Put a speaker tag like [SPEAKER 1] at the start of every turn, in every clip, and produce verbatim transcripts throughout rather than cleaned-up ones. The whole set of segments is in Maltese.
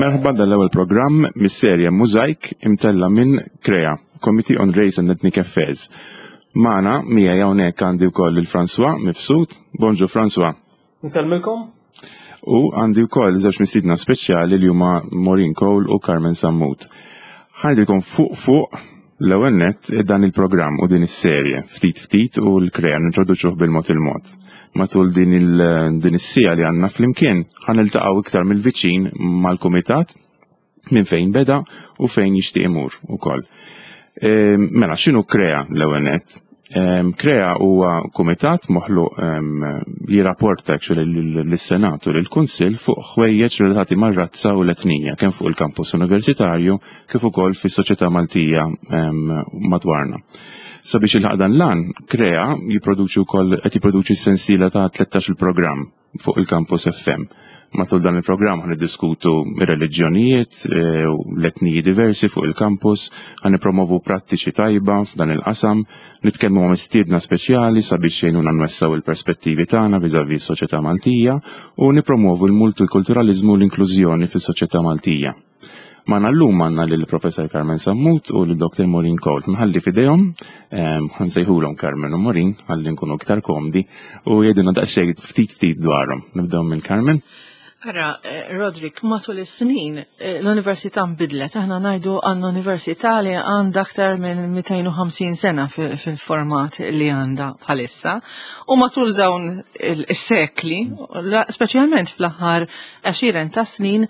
[SPEAKER 1] Merħba dal-ewwel programm mis-serje Mużajk imtella minn CREA, Committee on Race and Ethnic Affairs. Magħna miegħi hawnhekk għandi wkoll il-François Mifsud. Bonġu, François.
[SPEAKER 2] Nsellmilkom.
[SPEAKER 1] U għandi wkoll żewġ mistiedna speċjali li huma Maureen Cole u Carmen Sammut. Ħa ngħidilkom fuq fuq l-ewwel nett dan il-programm u din is-serje, ftit ftit, u l-CREA nintroduċuh bil-mod il-mod. Matul din il din is-siegħa li għandna flimkien ħa niltaqgħu iktar mill-viċin mal-kumitat, minn fejn beda u fejn jixtieq imur ukoll. Ehm, mela, x'inhu CREA l-ewwel nett? Ehm, CREA huwa kumitat moħluq li rapporta actually lis-Senat u lill-Kunsill fuq ħwejjeġ relatati mar-razza u l-etnija, kemm fuq il-kampus universitarju kif ukoll fis-soċjetà Maltija madwarna. Sabiex jilħaq dan l-għan, CREA jipproduċi wkoll qed jipproduċi sensiela ta' tlettax il-programm fuq il-Campus F M. Matul dan il-programm ħa niddiskutu reliġjonijiet eh, u l-etniji diversi fuq il-campus, ħa nippromovu prattiċi tajba f'dan il-qasam, nitkellmu ma' mistiedna speċjali sabiex jgħinuna nwessgħu il-perspettivi tagħna viżavi s-soċjetà Maltija u nipromovu l-multikulturalizmu u l-inklużjoni fis-soċjetà Maltija. Magħna llum għandna lill-Professor Carmen Sammut u l-Doktor Maureen Cole. Nħalli f'idejhom, ħa nsejħulhom Carmen u Maureen, ħalli nkunu iktar komdi u jgħidulna daqsxejn ftit ftit dwarhom. Nibdew minn Carmen.
[SPEAKER 3] Ara, eh, Rodrik, matul is-snin eh, l-università nbidlet. Aħna ngħidu għandna università li għandha aktar minn mitejn u ħamsin sena fil-format li għandha bħalissa. U matul dawn is-sekli, speċjalment fl-aħħar għexieren ta' snin,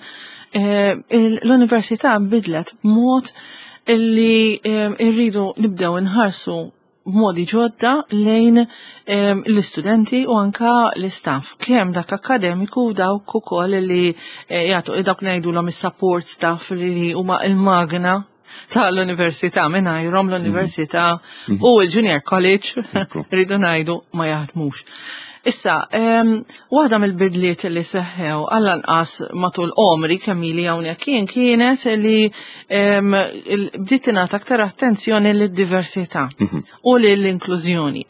[SPEAKER 3] eh, l-università nbidlet b'mod li rridu nibdew nħarsu b'modi ġodda lejn em, l-istudenti u anka l-istaff, kemm dak akademiku u dawk ukoll li eh, jagħtu, dawk ngħidulhom is-support staff, li huma il-magna tal-università. Mingħajrhom l-università u l-junior college,
[SPEAKER 1] Ekku.
[SPEAKER 3] rridu ngħidu, ma jaħdmux. Issa, em, waħda mill-bidliet li seħħew għall-anqas matul għomri kemm ili hawnhekk kien kienet li em, il- bdiet tingħata aktar attenzjoni lid-diversità u lill-inklużjoni.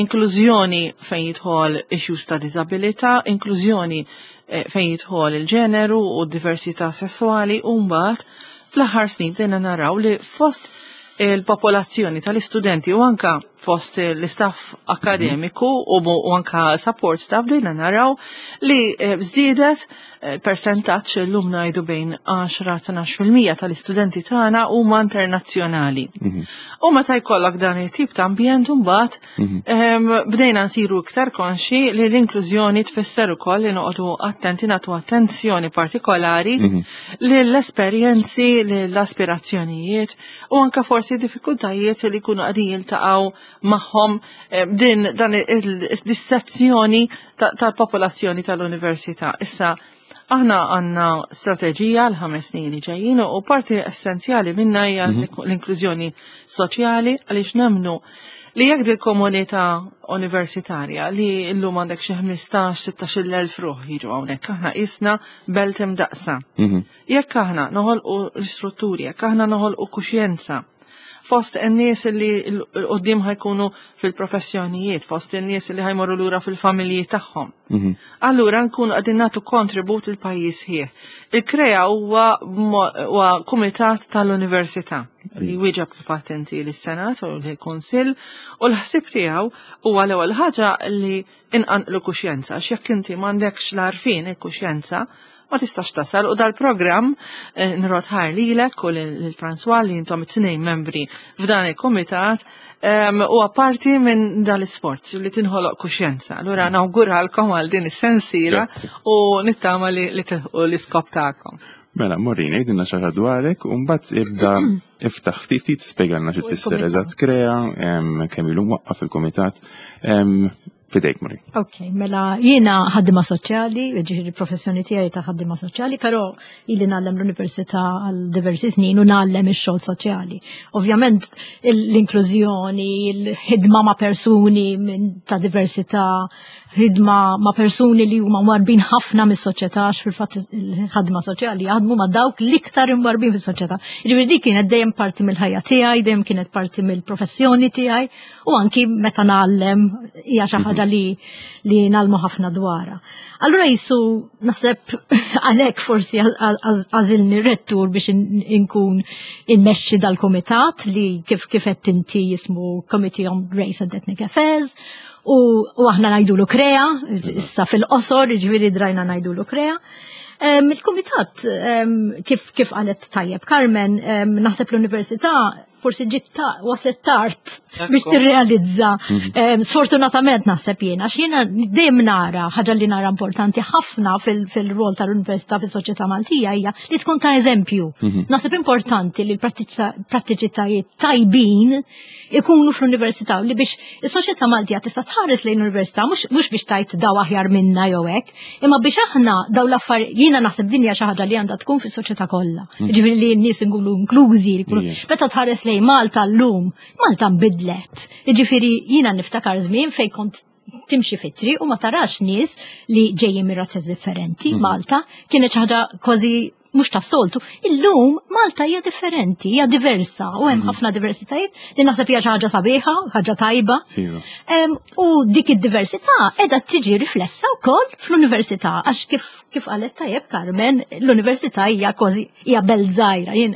[SPEAKER 3] Inklużjoni fejn jidħol issues ta' diżabilità, inklużjoni eh, fejn jidħol il-ġeneru u d-diversità sessuali, u mbagħad fl-aħħar snin bdejna naraw li fost il-popolazzjoni tal-istudenti u anka fost l-istaff akademiku u, u anka support staff bdejna naraw li eh, żdiedet eh, percentaġġ, llum ngħidu bejn għaxra-tnax fil-mija tal-istudenti tagħna huma internazzjonali. U meta jkollok dan it-tip ta' ambjent, mbagħad em, bdejna nsiru iktar konxi li l-inklużjoni tfisser ukoll li noqogħdu attenti, nagħtu attenzjoni partikolari lill-esperjenzi, lill-aspirazzjonijiet u anka forsi diffikultajiet li jkunu qegħdin jiltaqgħu magħhom eh, din dan il-sezzjoni tal-popolazzjoni tal-università. Issa, aħna għandna strateġija l-ħames snin li ġejjin u parti essenzjali minna hija l-inklużjoni soċjali, għaliex nemmnu li jekk dil-komunità universitarja li llum għandek xi ħmistax sittax-il elf ruħ jiġu hawnhekk, aħna qisna belt imdaqsa. Jekk aħna noħolqu l-istrutturi, jekk aħna noħolqu kuxjenza fost in-nies li l-qoddim ħa jkunu fil-professjonijiet, fost in-nies li ħa jmorru lura fil-familji tagħhom, allura nkunu qegħdin nagħtu kontribut il-pajjiż ħieħ. Il-CREA huwa huwa kumitat tal-università li wieġeb patenti lis-Senat u l-Kunsill, u l-ħsieb tiegħu huwa l-ewwel ħaġa li inqanqlu kuxjenza, għax jekk inti m'għandekx l-għarfien, il-kuxjenza, ma tistax tasal. U dal-programm eh, nrodd ħajr lilek u lil François li intom it-tnejn membri f'dan il-komitat em, u apparti minn dal-isforz li tinħoloq kuxjenza. Allura nawguralkom għal din is-sensiela
[SPEAKER 1] Grazzi.
[SPEAKER 3] u nittama li li tilħqu l-iskop tagħkom.
[SPEAKER 1] Mela, Maureen, għidilna xi ħaġa dwarek, u mbagħad ibda iftaħ ftit ftit, spjegalna xi tfisser
[SPEAKER 4] Il-kumitat.
[SPEAKER 1] eżatt CREA, em, kemm ilu mwaqqaf il-kumitat. Em, Fidejk, Maureen.
[SPEAKER 4] Ok, mela jiena ħaddima soċjali, ġifieri professjoni tiegħi ta' ħaddima soċjali, però ili ngħallem l-università għal diversi snin u ngħallem ix-xogħol soċjali. Ovvjament l-inklużjoni, il-ħidma ma' persuni minn ta' diversità, ħidma ma' persuni li huma mwarrbin ħafna mis-soċjetà, għax fil-fatt il-ħadma soċjali jaħdmu ma' dawk l-iktar imwarbin fis-soċjetà. Ġifieri dik kienet dejjem parti mill-ħajja tiegħi, dejjem kienet parti mill-professjoni tiegħi u anki meta ngħallem hija xi ħaġa ħaġa li li ngħallmu ħafna dwarha. Allura jisu naħseb għalhekk forsi għażilni rettur biex inkun immexxi dal-komitat li kif kif qed inti jismu Committee on Race and Ethnic Affairs u, u aħna ngħidulu KREA, issa fil-qosor, ġifieri drajna ngħidulu KREA. Um, Il-kumitat, um, kif, kif qalet tajjeb Carmen, um, naħseb l-università forsi ġiet ta' waslet tard biex tirrealizza. Um, sfortunatament naħseb jiena, għax jiena dejjem nara ħaġa li nara importanti ħafna fil-rol tal-università fis-soċjetà Maltija hija li tkun ta' eżempju. Naħseb importanti li l-prattiċitajiet tajbin ikunu fl-università li biex is-soċjetà Maltija tista' tħares lejn l-università mhux biex tgħid daw aħjar minna jew hekk, imma biex aħna daw l-affarijiet jiena naħseb dinja xi ħaġa li għandha tkun fis-soċjetà kollha. Ġifieri li n-nies nkunu inklużi, meta tħares lejn Malta llum, Malta nbidlet. Ġifieri jiena niftakar żmien fejn kont timxi fit-triq u ma tarax nies li ġejjin minn razzes differenti. Malta kienet xi ħaġa kważi mhux tas-soltu. Illum Malta hija differenti, hija diversa u hemm ħafna diversitajiet li naħseb hija xi ħaġa sabiħa, ħaġa tajba. U dik id-diversità qiegħda tiġi riflessa wkoll fl-università għax kif kif qalet tajjeb Carmen, l-università hija kważi hija belt żgħira, jien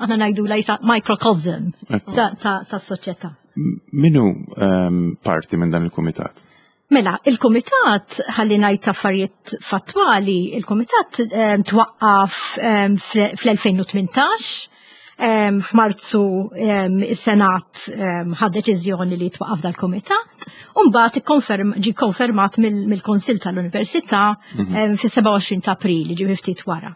[SPEAKER 4] aħna ngħidulha jisa microcosm tas-soċjetà.
[SPEAKER 1] Min hu parti minn dan il-kumitat?
[SPEAKER 4] Mela, il-komitat, ħalli ngħid affarijiet fattwali, il-komitat um, twaqqaf um, fl-elfejn u tmintax, um, f'Marzu um, is-Senat um, ħad deċiżjoni li twaqqaf dal-komitat, u mbagħad ikkonferm, ġi konfermat mill-Konsil tal-Università mm -hmm. um, fis-sebgħa u għoxrin ta' April, ġi ftit wara.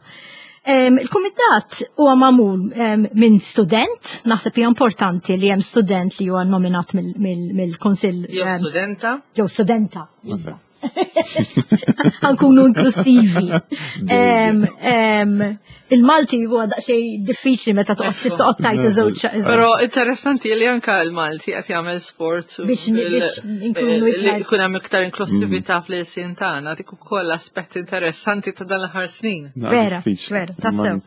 [SPEAKER 4] Um, Il-kumitat huwa magħmul um, minn student, naħseb hija importanti li hemm student li huwa nominat mill-Kunsill.
[SPEAKER 3] Jew studenta.
[SPEAKER 4] Jew studenta. Ħa nkunu inklusivi. Um, um, Il-Malti huwa daqsxejn diffiċli meta toqgħod toqgħod tgħid iż-żewġ.
[SPEAKER 3] Però interessanti li anka l-Malti qed jagħmel sforz
[SPEAKER 4] biex biex nkunu
[SPEAKER 3] li
[SPEAKER 4] iktar
[SPEAKER 3] jkun hemm iktar inklusività fl-ilsien tagħna, dik ukoll aspett interessanti ta' dan l-aħħar snin.
[SPEAKER 4] Vera, vera, tassew.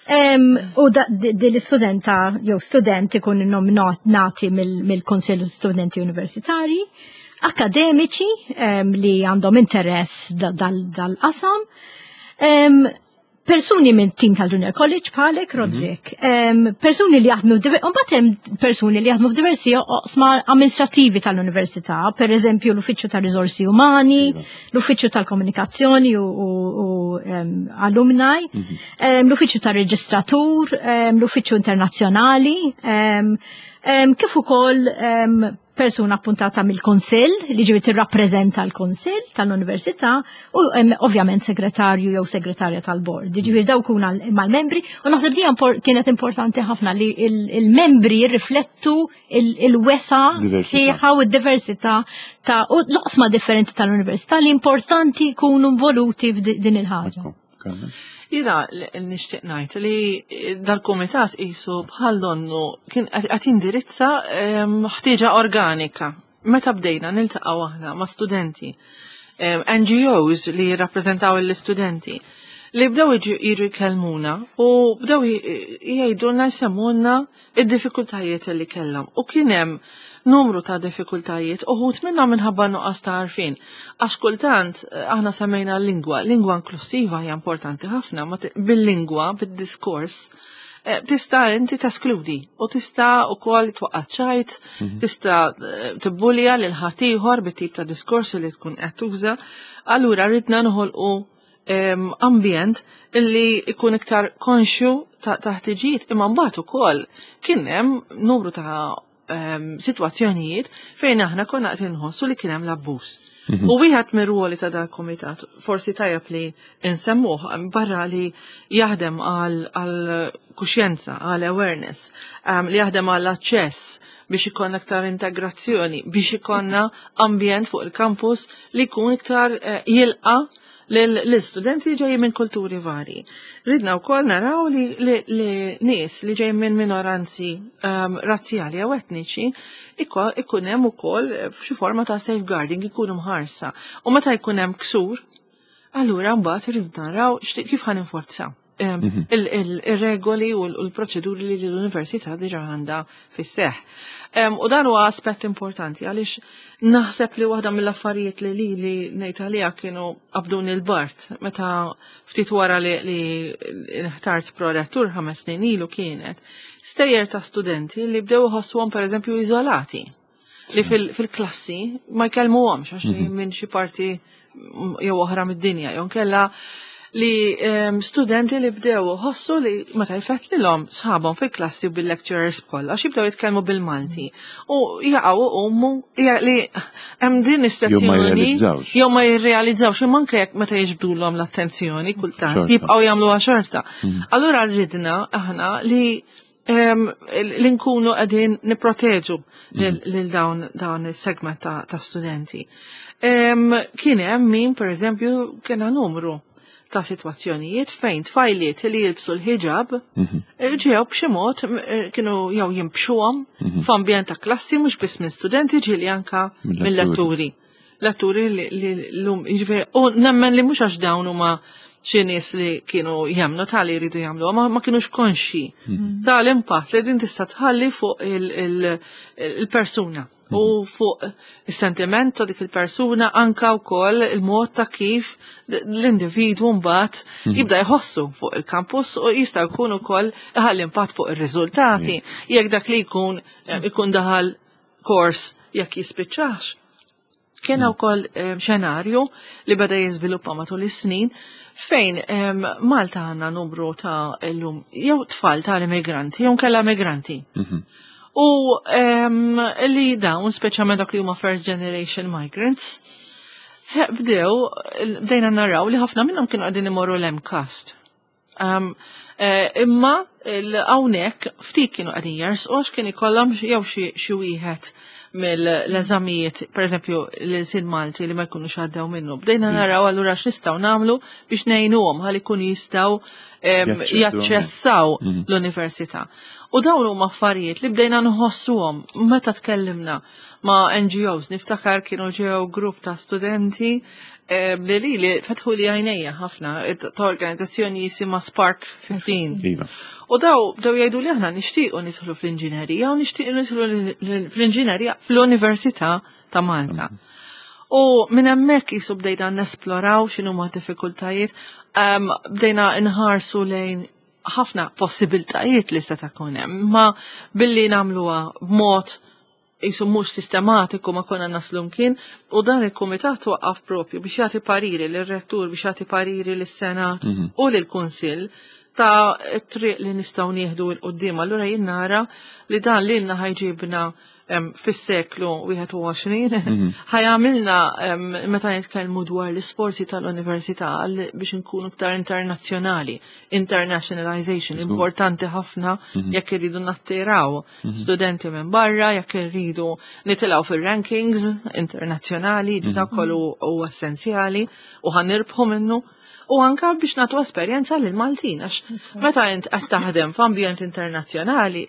[SPEAKER 4] Em, U da- di di l-istudenta jew student ikun nominati mill-Konsil Studenti Universitari, akademiċi em, li għandhom interess da- dal- dal-qasam, em, persuni minn team tal-Junior College bħalek, Roderick, em, persuni li jaħdmu, mbagħad hemm persuni li jaħdmu f'diversi oqsma amministrativi tal-università, per eżempju l-Uffiċċju ta' Riżorsi Umani, l-Uffiċċju tal-Komunikazzjoni u, u, u em, Alumni, em, l-Uffiċċju tal-Reġistratur, em, l-Uffiċċju Internazzjonali, em, em, kif ukoll em, persuna appuntata mill-Konsill li ġifieri tirrappreżenta l-Konsill tal-Università u em, ovvjament segretarju jew segretarja tal-bord. Ġifieri dawk huma mal-membri u naħseb di impor- kienet importanti ħafna li il- il-membri jirriflettu il- il-wesa
[SPEAKER 1] Diversità.
[SPEAKER 4] sħiħa u d-diversità ta' u l-oqsma differenti tal-università li importanti jkunu involuti f'din il-ħaġa.
[SPEAKER 1] Ekku, Carmen.
[SPEAKER 3] Jiena nixtieq ngħid li dal-kumitat qisu bħal donnu kien qed jindirizza em, ħtieġa organika. Meta bdejna niltaqgħu aħna ma' studenti, em, N G Os li jirrappreżentaw l-istudenti, li bdew jiġu jiġu jkellmuna u bdew jgħidulna, jsemmulna id-diffikultajiet li kellhom. U kien hemm numru ta' diffikultajiet, uħud minnhom minħabba nuqqas ta' għarfien. Għax kultant eh, aħna semmejna l-lingwa, lingwa inklusiva hija importanti ħafna, ma ti- bil-lingwa, bil-diskors, eh, tista' inti teskludi u tista' ukoll twaqqa' ċajt, tista' eh, tibbulja lil ħaddieħor bit-tip ta' diskors li tkun qed tuża. Allura ridna noħolqu em, ambjent illi ikun iktar konxju ta' ta' ħtiġijiet, imma mbagħad ukoll kien hemm numru ta' em, sitwazzjonijiet fejn aħna konna qed inħossu li kien hemm l-abbuż. U wieħed mir-ruoli ta' dal-komitat, forsi tajjeb li insemmuh, barra li jaħdem għal għal kuxjenza, għal awareness, um, li jaħdem għal aċċess biex ikonna iktar integrazzjoni, biex ikonna ambjent fuq il-campus li jkun iktar eh, jilqa l-istudenti li ġejjin minn kulturi vari. Ridna wkoll naraw li, li, li nies li ġejjin minn minoranzi um, razzjali jew etniċi iko- ikun hemm ukoll f'xi forma ta' safeguarding, ikunu mħarsa. U meta jkun hemm ksur, allura mbagħad irridu naraw xti- kif ħa ninforzaw. em, il- il- il-regoli u l- u l-proċeduri li l-università diġà għandha fis-seħ. Em, U dan huwa aspett importanti għaliex naħseb li waħda mill-affarijiet li li li ngħid għaliha kienu qabduni l-bard meta ftit wara li, li nħtart prorettur ħames snin ilu kienet stejjer ta' studenti li bdew iħossuhom, pereżempju, iżolati li fil- fil-klassi ma jkellmuhomx għax minn xi parti mm, jew oħra mid-dinja, jew kella li em, studenti li bdew ħossu li meta jfettlilhom sħabhom fil-klassi u bil-lecturers kollha għax jibdew jitkellmu bil-Malti. U jaqgħu umu li hemm din
[SPEAKER 1] Jew ma
[SPEAKER 3] is-sezzjoni
[SPEAKER 1] jirrealizzawx.
[SPEAKER 3] Jew ma jirrealizzawx, imma anke jekk meta jiġbdulhom l-attenzjoni kultant
[SPEAKER 1] Xorta.
[SPEAKER 3] jibqgħu jagħmluha xorta. Allura rridna aħna li em, li nkunu qegħdin nipproteġu lil lil dawn dawn is-segment ta', ta' studenti. Em, Kien hemm min, pereżempju, kien numru ta' sitwazzjonijiet fejn tfajliet li jilbsu l-hijab eh, ġew b'xi mod eh, kienu jew jimbxuhom f'ambjent ta' klassi, mhux biss minn studenti, ġieli anka
[SPEAKER 1] mill-letturi.
[SPEAKER 3] Mill-letturi. Letturi li li l-lum, jiġifieri, u nemmen li mhux għax dawn huma xi nies li kienu jemmnu tal-li jridu jagħmlu, ma, ma kienux konxi tal-impatt li din tista' tħalli fuq il- il- il-persuna u fuq is-sentiment ta' dik il-persuna, anka wkoll il-mod ta' kif l-individwu mbagħad jibda jħossu fuq il-kampus u jista' jkun ukoll iħalli impatt fuq ir-riżultati jekk dak li jkun ikun daħal kors jekk jispiċċax. Kien wkoll em, xenarju li beda jiżviluppa matul is-snin fejn em, Malta għandna numru ta' illum jew tfal ta' immigranti jew kella migranti. U em, li dawn, speċjalment dak li huma first generation migrants, he, bdew, bdejna naraw li ħafna minnhom kienu qegħdin imorru l-MCAST. Um, eh, imma hawnhekk ftit kienu qegħdin jersqu għax kien ikollhom jew xi xi wieħed mill-eżamijiet, per eżempju l-ilsien Malti, li ma jkunux għaddew minnu. Bdejna naraw allura x'nistgħu nagħmlu biex ngħinuhom ħalli jkunu jistgħu em,
[SPEAKER 1] jaċċedu.
[SPEAKER 3] Jaċċessaw l-università. U dawn huma affarijiet li bdejna nħossuhom meta tkellimna ma' N G Os. Niftakar kienu ġew grupp ta' studenti eh, li li li fetħu li għajnejja ħafna eh, ta' organizzazzjoni jisimha Spark ħmistax.
[SPEAKER 1] Iva.
[SPEAKER 3] U daw bdew jgħidu li aħna nixtiequ nidħlu fl-inġinerija u nixtiequ nidħlu fl-inġinerija fl-Università ta' Malta. U minn hemmhekk jisu bdejna nesploraw x'inhu ma' diffikultajiet, um, bdejna nħarsu lejn ħafna possibiltajiet li se jkun hemm, ma billi nagħmluha b'mod jisu mhux sistematiku ma konna naslu mkien, u dan il-kumitat waqqaf propju biex jagħti pariri lir-rettur, biex jagħti pariri lis-Senat u lill-Kunsill ta' triq li nistgħu nieħdu 'l quddiem. Allura jien nara li dan lilna ħa jġibna em, fis-seklu wieħed u għoxrin, ħa jagħmilna em, meta nitkellmu dwar l-isforzi tal-università għal- biex nkunu iktar internazzjonali, internationalization, importanti ħafna jekk irridu nattiraw studenti minn barra, jekk irridu nitilgħu fir-rankings internazzjonali, dak kollu huwa essenzjali u ħa nirbħu minnu. U anka biex nagħtu esperjenza lil Maltin, għax meta int qed taħdem f'ambjent internazzjonali,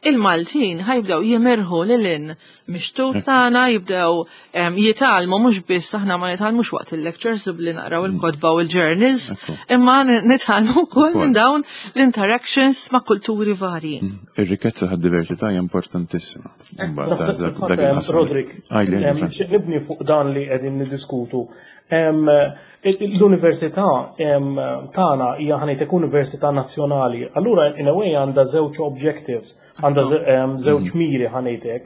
[SPEAKER 3] il-Maltin ħa jibdew jimirħu lil hinn mix-xtut tagħna, jibdew em, jitgħallmu, mhux biss aħna ma jitgħallmux waqt il-lectures u billi naqraw il-kotba u il-journals, imma nitgħallmu wkoll minn dawn l-interactions ma' kulturi varji.
[SPEAKER 1] Ir-rikkezza tad-diversità hija importantissima. Mbagħad
[SPEAKER 2] Naħseb
[SPEAKER 1] dak- dak
[SPEAKER 2] fil-fatt, em,
[SPEAKER 1] il-qasam.
[SPEAKER 2] Roderick,
[SPEAKER 1] Għajli,
[SPEAKER 2] em,
[SPEAKER 1] Fran.
[SPEAKER 2] nixtieq nibni fuq dan li qegħdin niddiskutu. Em, il- L-università em, tagħna hija, ħa ngħidlek, università nazzjonali. Allura in a way għandha żewġ objectives, għandha ze- em, żewġ miri, ħa ngħidlek.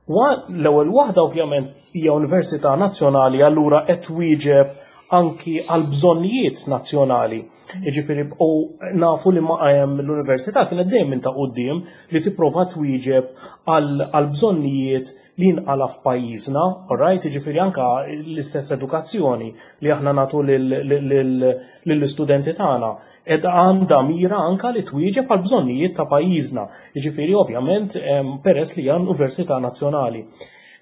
[SPEAKER 2] Wa- L-ewwel waħda ovvjament hija università nazzjonali, allura qed twieġeb anki għal bżonnijiet nazzjonali. Jiġifieri u nafu li ma em, l-università kienet dejjem minn ta' quddiem li tipprova twieġeb għal għal bżonnijiet li jinqala f'pajjiżna, alright? Jiġifieri anka l-istess edukazzjoni li aħna nagħtu lill-istudenti tagħna. Ed għandha mira anka li twieġeb għal bżonnijiet ta' pajjiżna. Jiġifieri ovvjament em, peress li hija università nazzjonali.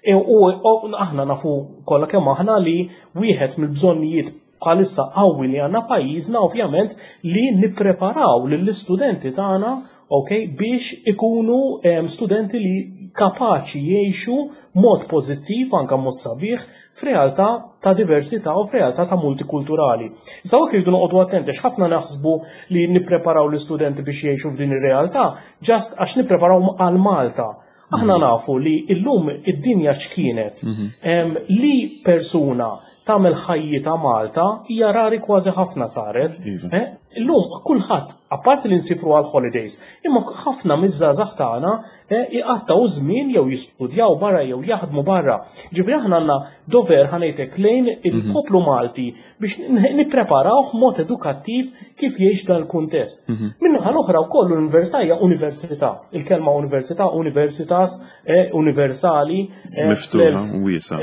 [SPEAKER 2] E, U u aħna nafu kollha kemm aħna li wieħed mill-bżonnijiet bħalissa qawwi li għandna pajjiżna ovvjament li nippreparaw lill-istudenti tagħna, okay, biex ikunu em, studenti li kapaċi jgħixu mod pożittiv, anka mod sabiħ, f'realtà ta' diversità u f'realtà ta' multikulturali. Issa hawnhekk irridu noqogħdu attenti għax ħafna naħsbu li nippreparaw l-istudenti biex jgħixu f'din ir-realtà just għax nippreparaw għal Malta. Aħna nafu li illum id-dinja x'kienet li persuna tagħmel ħajjita Malta hija rari kważi ħafna saret.
[SPEAKER 1] Iva.
[SPEAKER 2] Eh? Illum kulħadd, apparti li nsifru għal holidays, imma ħafna miż-żgħażagħ tagħna eh, iqattgħu żmien jew jistudjaw barra jew jaħdmu barra. Ġifieri aħna għandna dover, ħa ngħidlek, lejn il-poplu Malti biex nippreparawh mod edukattiv kif jgħix dan il-kuntest. Min-naħa l-oħra wkoll l-università hija università. Il-kelma università, universitas, eh, universali. eh,
[SPEAKER 1] Miftuħa, wiesa.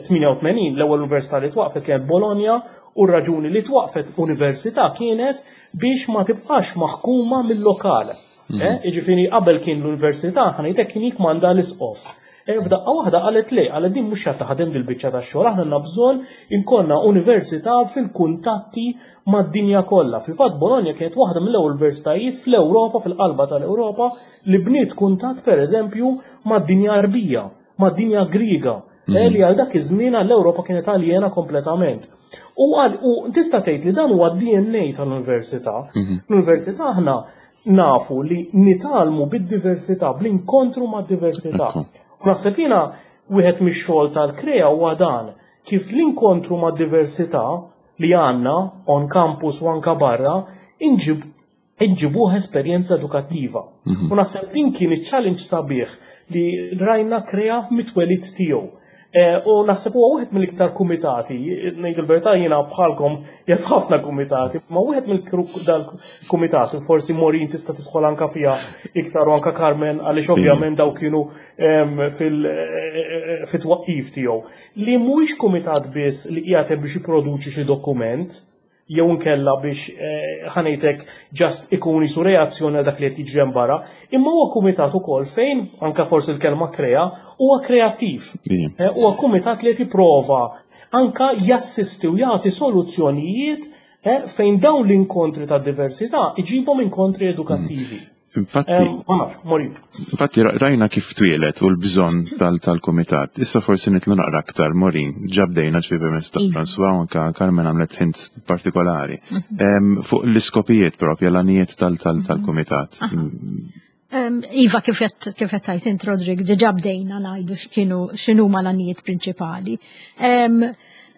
[SPEAKER 2] tmienja u tmenin l-ewwel università li twaqfet kienet Bologna u r-raġuni li twaqfet università kienet biex ma tibqax maħkuma mill-lokal. Eh, Jiġifieri qabel kien l-università, ħa ngħidlek, kien jikmanda l-isqof. Eh, F'daqqa waħda qalet le, qalet din mhux taħdem dil-biċċa tax-xogħol, aħna għandna bżonn inkollna università fil-kuntatti mad-dinja kollha. Fil-fatt Bologna kienet waħda mill-ewwel universitajiet fl-Ewropa, fil-qalba tal-Ewropa, li bniet kuntatt, pereżempju, mad-dinja Arbija, mad-dinja Griega, eh, li għal dak iż-żmien għall-Ewropa kienet aljena kompletament. U għal u tista' tgħid li dan huwa D N A tal-università. L-università aħna nafu li nitgħallmu bid-diversità, bl-inkontru mad-diversità.
[SPEAKER 1] Ekku.
[SPEAKER 2] U naħseb jiena wieħed mix-xogħol tal-KREA huwa dan, kif l-inkontru mad-diversità li għandna on campus u anka barra inġib inġibuh esperjenza edukattiva. U naħseb din kien iċ-challenge sabiħ li rajna KREA mit-twelid tiegħu. Eh, U naħseb huwa wieħed mill-iktar kumitati, ngħid il-verità, jiena bħalkom jaf ħafna kumitati, ma wieħed mill-kumitati, forsi Maureen tista' tidħol anka fiha iktar u anka Carmen, għaliex ovvjament daw kienu em, fil- eh, fit-twaqqif tiegħu. Li mhuwiex kumitat biss li qiegħed hemm biex jipproduċi xi dokument, jew nkella biex eh, ħa ngħidlek, just ikun jisu reazzjoni għal dak li qed jiġri hemm barra, imma huwa kumitat ukoll fejn anka forsi l-kelma krea huwa kreattiv.
[SPEAKER 1] Ija.
[SPEAKER 2] Eh, Huwa kumitat li qed jipprova anka jassisti u jagħti soluzzjonijiet eh, fejn dawn l-inkontri ta' diversità iġibhom inkontri edukattivi.
[SPEAKER 1] Infatti,
[SPEAKER 2] Eh, Ma nafx, Maureen.
[SPEAKER 1] Infatti ra- rajna kif twieled u l-bżonn tal-komitat. Issa forsi nidħlu naqra aktar, Maureen, ġa bdejna ġifieri permezz ta'
[SPEAKER 4] Iva.
[SPEAKER 1] François u anka Carmen għamlet hint partikolari. Em, Fuq l-iskopijiet propja, l-għanijiet tal-komitat.
[SPEAKER 4] Um, Iva, kif qed kif qed tgħid int, Rodrik, diġà bdejna ngħidu x'kienu x'inhuma l-għanijiet prinċipali. Um,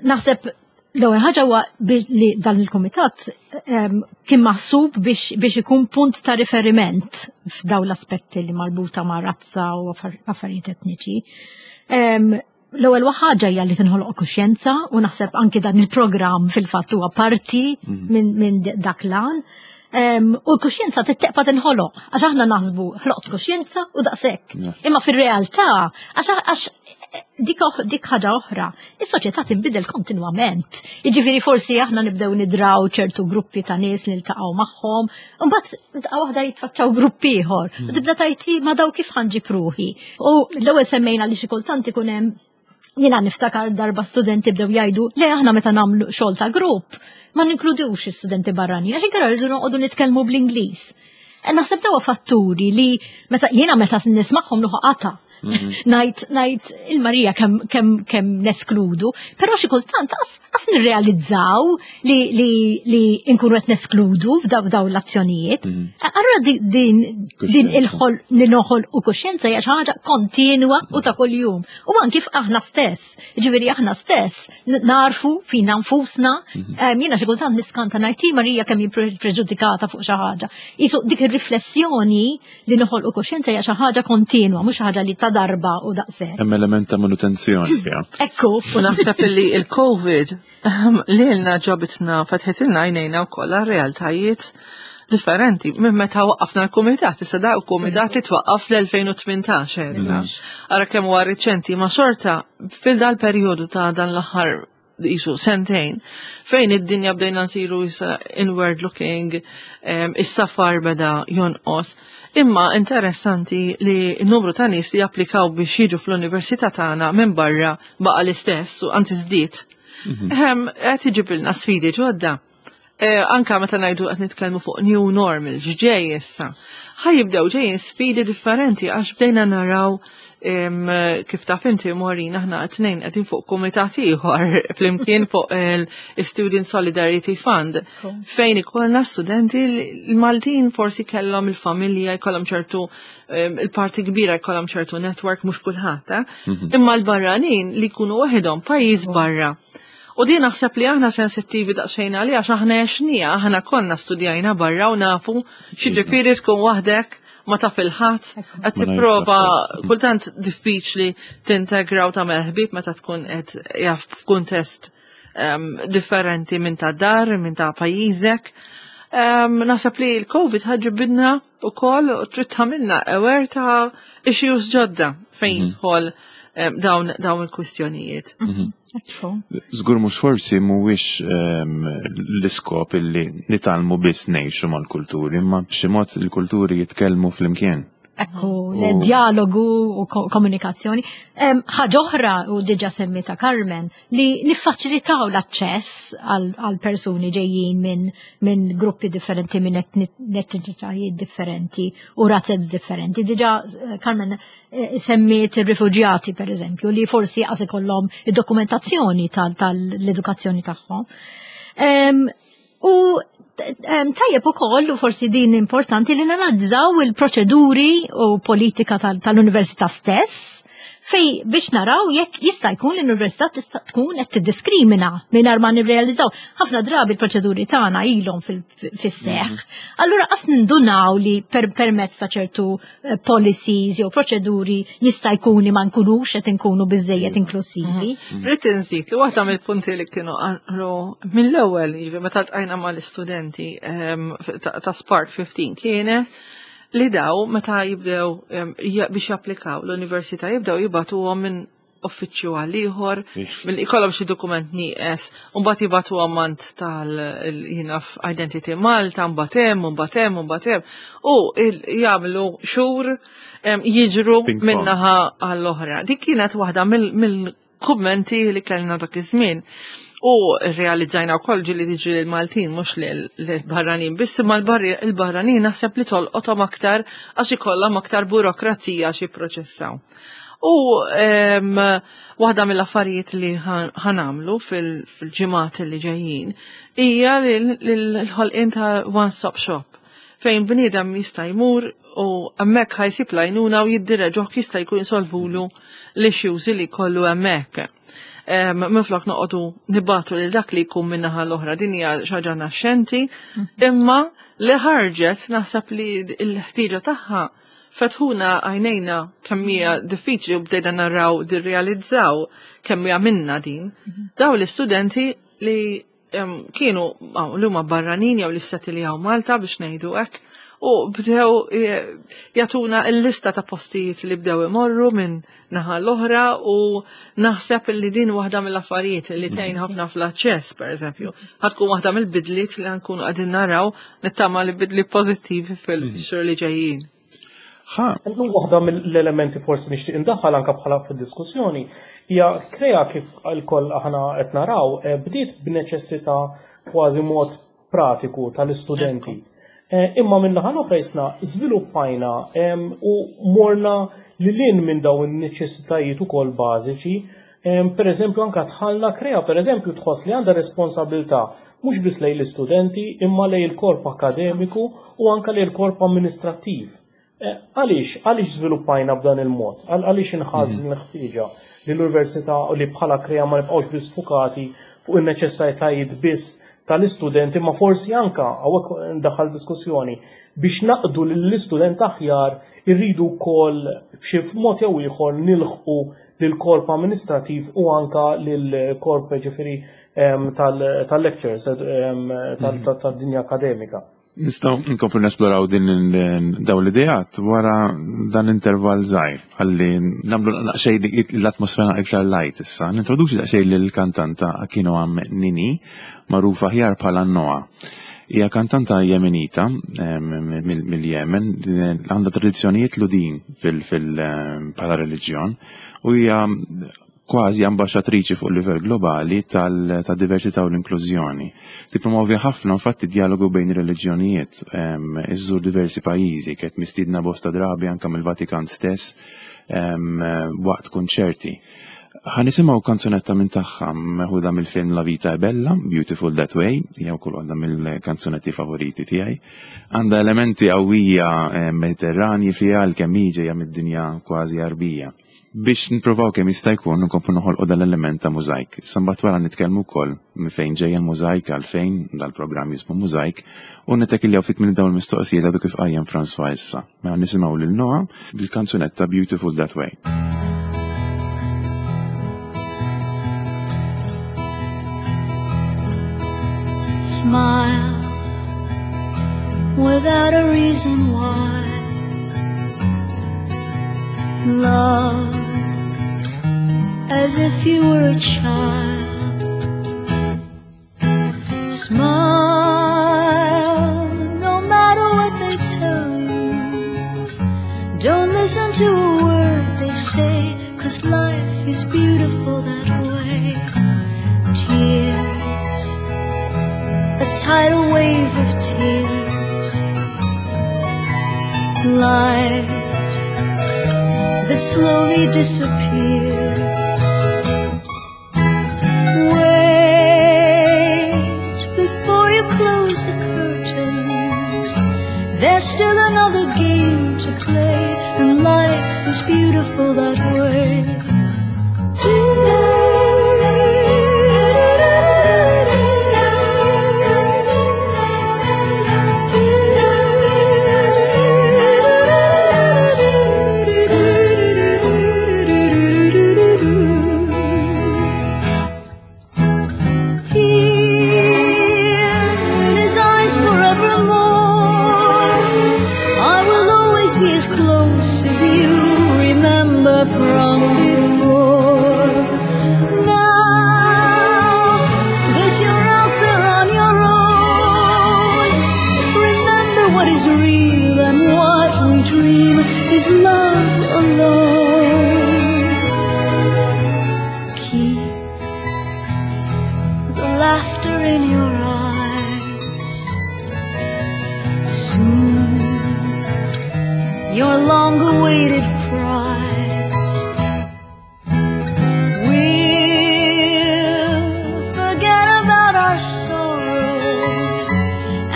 [SPEAKER 4] naħseb l-ewwel ħaġa huwa biex li dan il-kumitat um, kien maħsub biex biex ikun punt ta' riferiment f'dawn l-aspetti li marbuta ma' razza u affar- affarijiet etniċi. Um, L-ewwel ħaġa hija li tinħoloq kuxjenza u naħseb anki dan il-programm fil-fatt huwa parti minn min dak l-għan. Um, u l-kuxjenza tibqa' tinħoloq, għax aħna naħsbu ħloqt kuxjenza u daqshekk.
[SPEAKER 1] Yeah.
[SPEAKER 4] Imma fir-realtà, għax għax dik, oħ- dik ħaġa oħra, is-soċjetà tinbidel kontinwament. Jiġifieri forsi aħna nibdew nidraw ċertu gruppi ta' nies niltaqgħu magħhom, u mbagħad daqqa waħda jitfaċċaw gruppi ieħor. U tibda tgħid, "Ma daw kif ħa nġib ruħi?" U l-ewwel semmejna li xi kultant ikun hemm. Jiena niftakar darba studenti bdew jgħidu le, aħna meta nagħmlu xogħol ta' grupp ma ninkludux is-studenti barranin għax inkella rridu noqogħdu nitkellmu bl-Ingliż. E naħseb dawa fatturi li meta jiena meta nismagħhom nieħu qatgħa. Ngħid ngħid il-Marija kemm kemm kemm neskludu, però xi kultant as, as nirrealizzaw li li li nkunu qed neskludu f'daw daw l-azzjonijiet. Allura di- din din
[SPEAKER 1] Kuxjenza.
[SPEAKER 4] il-ħol li noħol u kuxjenza hija xi ħaġa kontinwa u ta' kuljum. U anki aħna stess, ġifieri aħna stess n- narfu fina nfusna, em, jiena xi kultant niskanta ngħid, "Marija, kemm hi pre- preġudikata fuq xi ħaġa." Isu dik ir-riflessjoni li noħolqu kuxjenza hija xi ħaġa kontinwa, mhux xi ħaġa li ta' darba u daqshekk.
[SPEAKER 1] Hemm element ta' manutenzjoni fiha.
[SPEAKER 4] Ekku.
[SPEAKER 3] U naħseb li il-Covid lilna ġabitna, fetħetilna għajnejna wkoll realtajiet differenti. Minn meta waqqafna l-kumitat, issa da kumitat li twaqqaf l-elfejn u tmintax għedna. Ara kemm huwa riċenti, ma xorta fil dal perjodu ta' dan l-aħħar jisu sentejn, fejn id-dinja bdejna nsiru issa inward looking, em, is-safar beda jonqos. Imma interessanti li n-numru ta' nies li applikaw biex jiġu fl-università tagħna minn barra baqa l-istess u anzi żdied. Ehm, qed iġibilna sfidi ġodda. Eh, anka meta ngħidu qed nitkellmu fuq new normal, x'ġej issa. Ħa jibdew ġejjin sfidi differenti għax bdejna naraw em, kif taf inti, Maureen, aħna t-tnejn qegħdin fuq kumitat ieħor flimkien fuq il-Student Solidarity Fund fejn ikollna studenti l-Maltin forsi kellhom il-familja, jkollhom ċertu em, il-parti kbira jkollhom ċertu network, mhux kulħadd, eh? Imma l-barranin li jkunu waħedhom pajjiż barra. U din naħseb li aħna sensittivi daqsxejn għalija għax aħna għexnieha, aħna konna studjajna barra u nafu x'jiġifieri tkun waħdek, ma taf 'il ħadd, qed tipprova, kultant diffiċli tintegra u tagħmel ħbieb meta tkun qed jaf f'kuntest um, differenti minn ta' dar, minn ta' pajjiżek. Um, naħseb li l-Covid ħa ġġibna wkoll u trid tagħmilna aware ta' issues ġodda fejn jidħol um, dawn dawn il-kwistjonijiet.
[SPEAKER 4] Ekku.
[SPEAKER 1] Żgur mhux forsi mhuwiex ehm, l-iskop illi nitgħallmu biss ngħixu mal-kulturi, imma b'xi mod il-kulturi jitkellmu flimkien.
[SPEAKER 4] Ekku, dialogu u ko- komunikazzjoni. Em, Ħaġa oħra, u diġà semmita Carmen, li niffaċilitaw l-aċċess għal għal persuni ġejjin minn min gruppi differenti, minn etni- etniċitajiet differenti u razzez differenti. Diġà eh, Carmen eh, semmiet ir-rifuġjati, per eżempju, li forsi għas ikollhom id-dokumentazzjoni tal- tal-edukazzjoni tagħhom. Em, U em, tajjeb ukoll, u forsi din importanti, li nanalizzaw il-proċeduri u politika tal- tal-università stess fej biex naraw jekk jista' jkun l-università tista' tkun qed tiddiskrimina mingħajr ma nirrealizzaw. Ħafna drabi l-proċeduri tagħna ilhom fis-seħħ. Allura qas nindunaw li per permezz ta' ċertu eh, policies jew proċeduri jista' jkun li ma nkunux qed inkunu biżejjed inklusivi.
[SPEAKER 3] Rrid inżid li waħda mill-punti li kienu qalu mill-ewwel, jiġifieri meta ltqajna mal-istudenti ehm, ta' ta' Spark ħmistax, kienet li daw meta jibdew ehm, ja- biex japplikaw l-università jibdew jibagħtuhom minn uffiċċju għal ieħor, mill ikollhom xi dokument nieqes, u mbagħad jibagħtuhom għand tal jiena Identity Malta, mbagħad hemm, mbagħad hemm, mbagħad hemm, u il- jagħmlu xhur em, jiġru
[SPEAKER 1] Ping pong.
[SPEAKER 3] min-naħa għall-oħra. Dik kienet waħda mill- mill-kummenti li kellna dak iż-żmien. U realizzajna wkoll ġieli tiġi l-Maltin mhux l-barranin biss, imma l-barri- il-barranin naħseb li tolqothom aktar għax ikollhom aktar burokrazija xi jipproċessaw. U em, waħda mill-affarijiet li ħa nagħmlu fil-ġimgħat li ġejjin hija l-ħolqien ta' one-stop shop fejn bniedem jista' jmur u hemmhekk ħa jsib l-għajnuna u jiddireġuh, jista' jkun jisolvulu l-issues li kollu hemmhekk. Em, Minflok noqogħdu nibagħtu lil dak li jkun min-naħa l-oħra, din hija xi ħaġa naxxenti, imma li ħarġet naħseb li l-ħtieġa tagħha fetħuna għajnejna kemm hija diffiċli u bdejna naraw dirrealizzaw kemm hija minna din. Daw l-istudenti li em, kienu aw, li huma barranin jew li settiljaw Malta biex ngħidu hekk u bdew eh, jagħtuna l-lista ta' postijiet li bdew imorru minn naħa l-oħra u naħseb li din waħda mill-affarijiet li tgħin ħafna fl-aċċess, per eżempju. Ħa tkun waħda mill-bidliet li nkunu qegħdin naraw, nittama li bidli pożittivi fil-xhur li ġejjin.
[SPEAKER 1] Ħa,
[SPEAKER 2] Waħda mill-elementi forsi nixtieq indaħħal anka bħala fid-diskussjoni hija Krea, kif lkoll aħna qed naraw, eh, bdiet b'neċessità kważi mod pratiku tal-istudenti. Eh, Imma min-naħa l-oħra jisna żviluppajna em, u morna lil hinn minn dawn in-neċessitajiet ukoll bażiċi. Em, Per eżempju, anka tħallna Krea, per eżempju, tħoss li għandha responsabilità mhux biss lejn l-istudenti imma lejn il-korp akademiku u anka lejn il-korp amministrattiv. Eh, Għaliex, għaliex żviluppajna b'dan il-mod? Għal- Għaliex inħass din l-ħtieġa li l-università u li bħala Krea ma nibqgħux biss fukati fuq in-neċessitajiet biss tal-istudenti, ma forsi anka hawnhekk ndaħal diskussjoni biex naqdu lill-istudent aħjar irridu wkoll b'xi mod jew ieħor nilħqu lill-korp amministrativ u anka lill-korp ġifieri em, tal- tal-lectures em, tal- tad-dinja akademika.
[SPEAKER 1] Nistgħu nkomplu nesploraw din il- daw l-ideat wara dan intervall żgħir ħalli nagħmlu daqsxejn l-atmosfera iktar light issa. Nintroduċi daqsxejn lill-kantanta Akinoam Nini, magħrufa aħjar bħala Noa. Hija kantanta Jemenita em, mill- mill-Jemen, għandha tradizzjonijiet Lhudin fil- fil- bħala reliġjon u hija Kważi ambaxxatriċi fuq livell globali tal-diversità u l-inklużjoni. Tippromovi ħafna infatti dialogu bejn ir-reliġjonijiet, iżżur diversi pajjiżi, kienet mistiedna bosta drabi anke mill-Vatikan stess waqt konċerti. Ħa nisimgħu kanzunetta minn tagħha meħuda mill-film La Vita è Bella, Beautiful That Way, hija wkoll waħda mill-kanzunetti favoriti tiegħi. Għandha elementi qawwija Mediterranji fiha għalkemm hi ġejja mid-dinja kważi Għarbija. Biex nipprovaw kemm jista' jkun nkomplu noħolqu dal-element ta' mużajk. Mbagħad wara nitkellmu wkoll minn fejn ġejja l-mużajk, għalfejn dal-programm jismu Mużajk, u nittakiljaw ftit minn dawn il-mistoqsijiet għadu kif qajjem François issa. Mela nisimgħu lil Noah bil-kanzunetta Beautiful That Way.
[SPEAKER 5] Smile without a reason why. Love as if you were a child. Smile no matter what they tell you. Don't listen to a word they say, 'cause life is beautiful that way. Tears, a tidal wave of tears. Light that slowly disappears. Wait before you close the curtain. There's still another game to play, and life is beautiful that way. Here in his eyes forevermore, I will always be as close as you remember from before. Now that you're out there on your own, remember what is real and what we dream is love alone. Keep the laughter in your eyes. Soon your long-awaited prize. We'll forget about our sorrow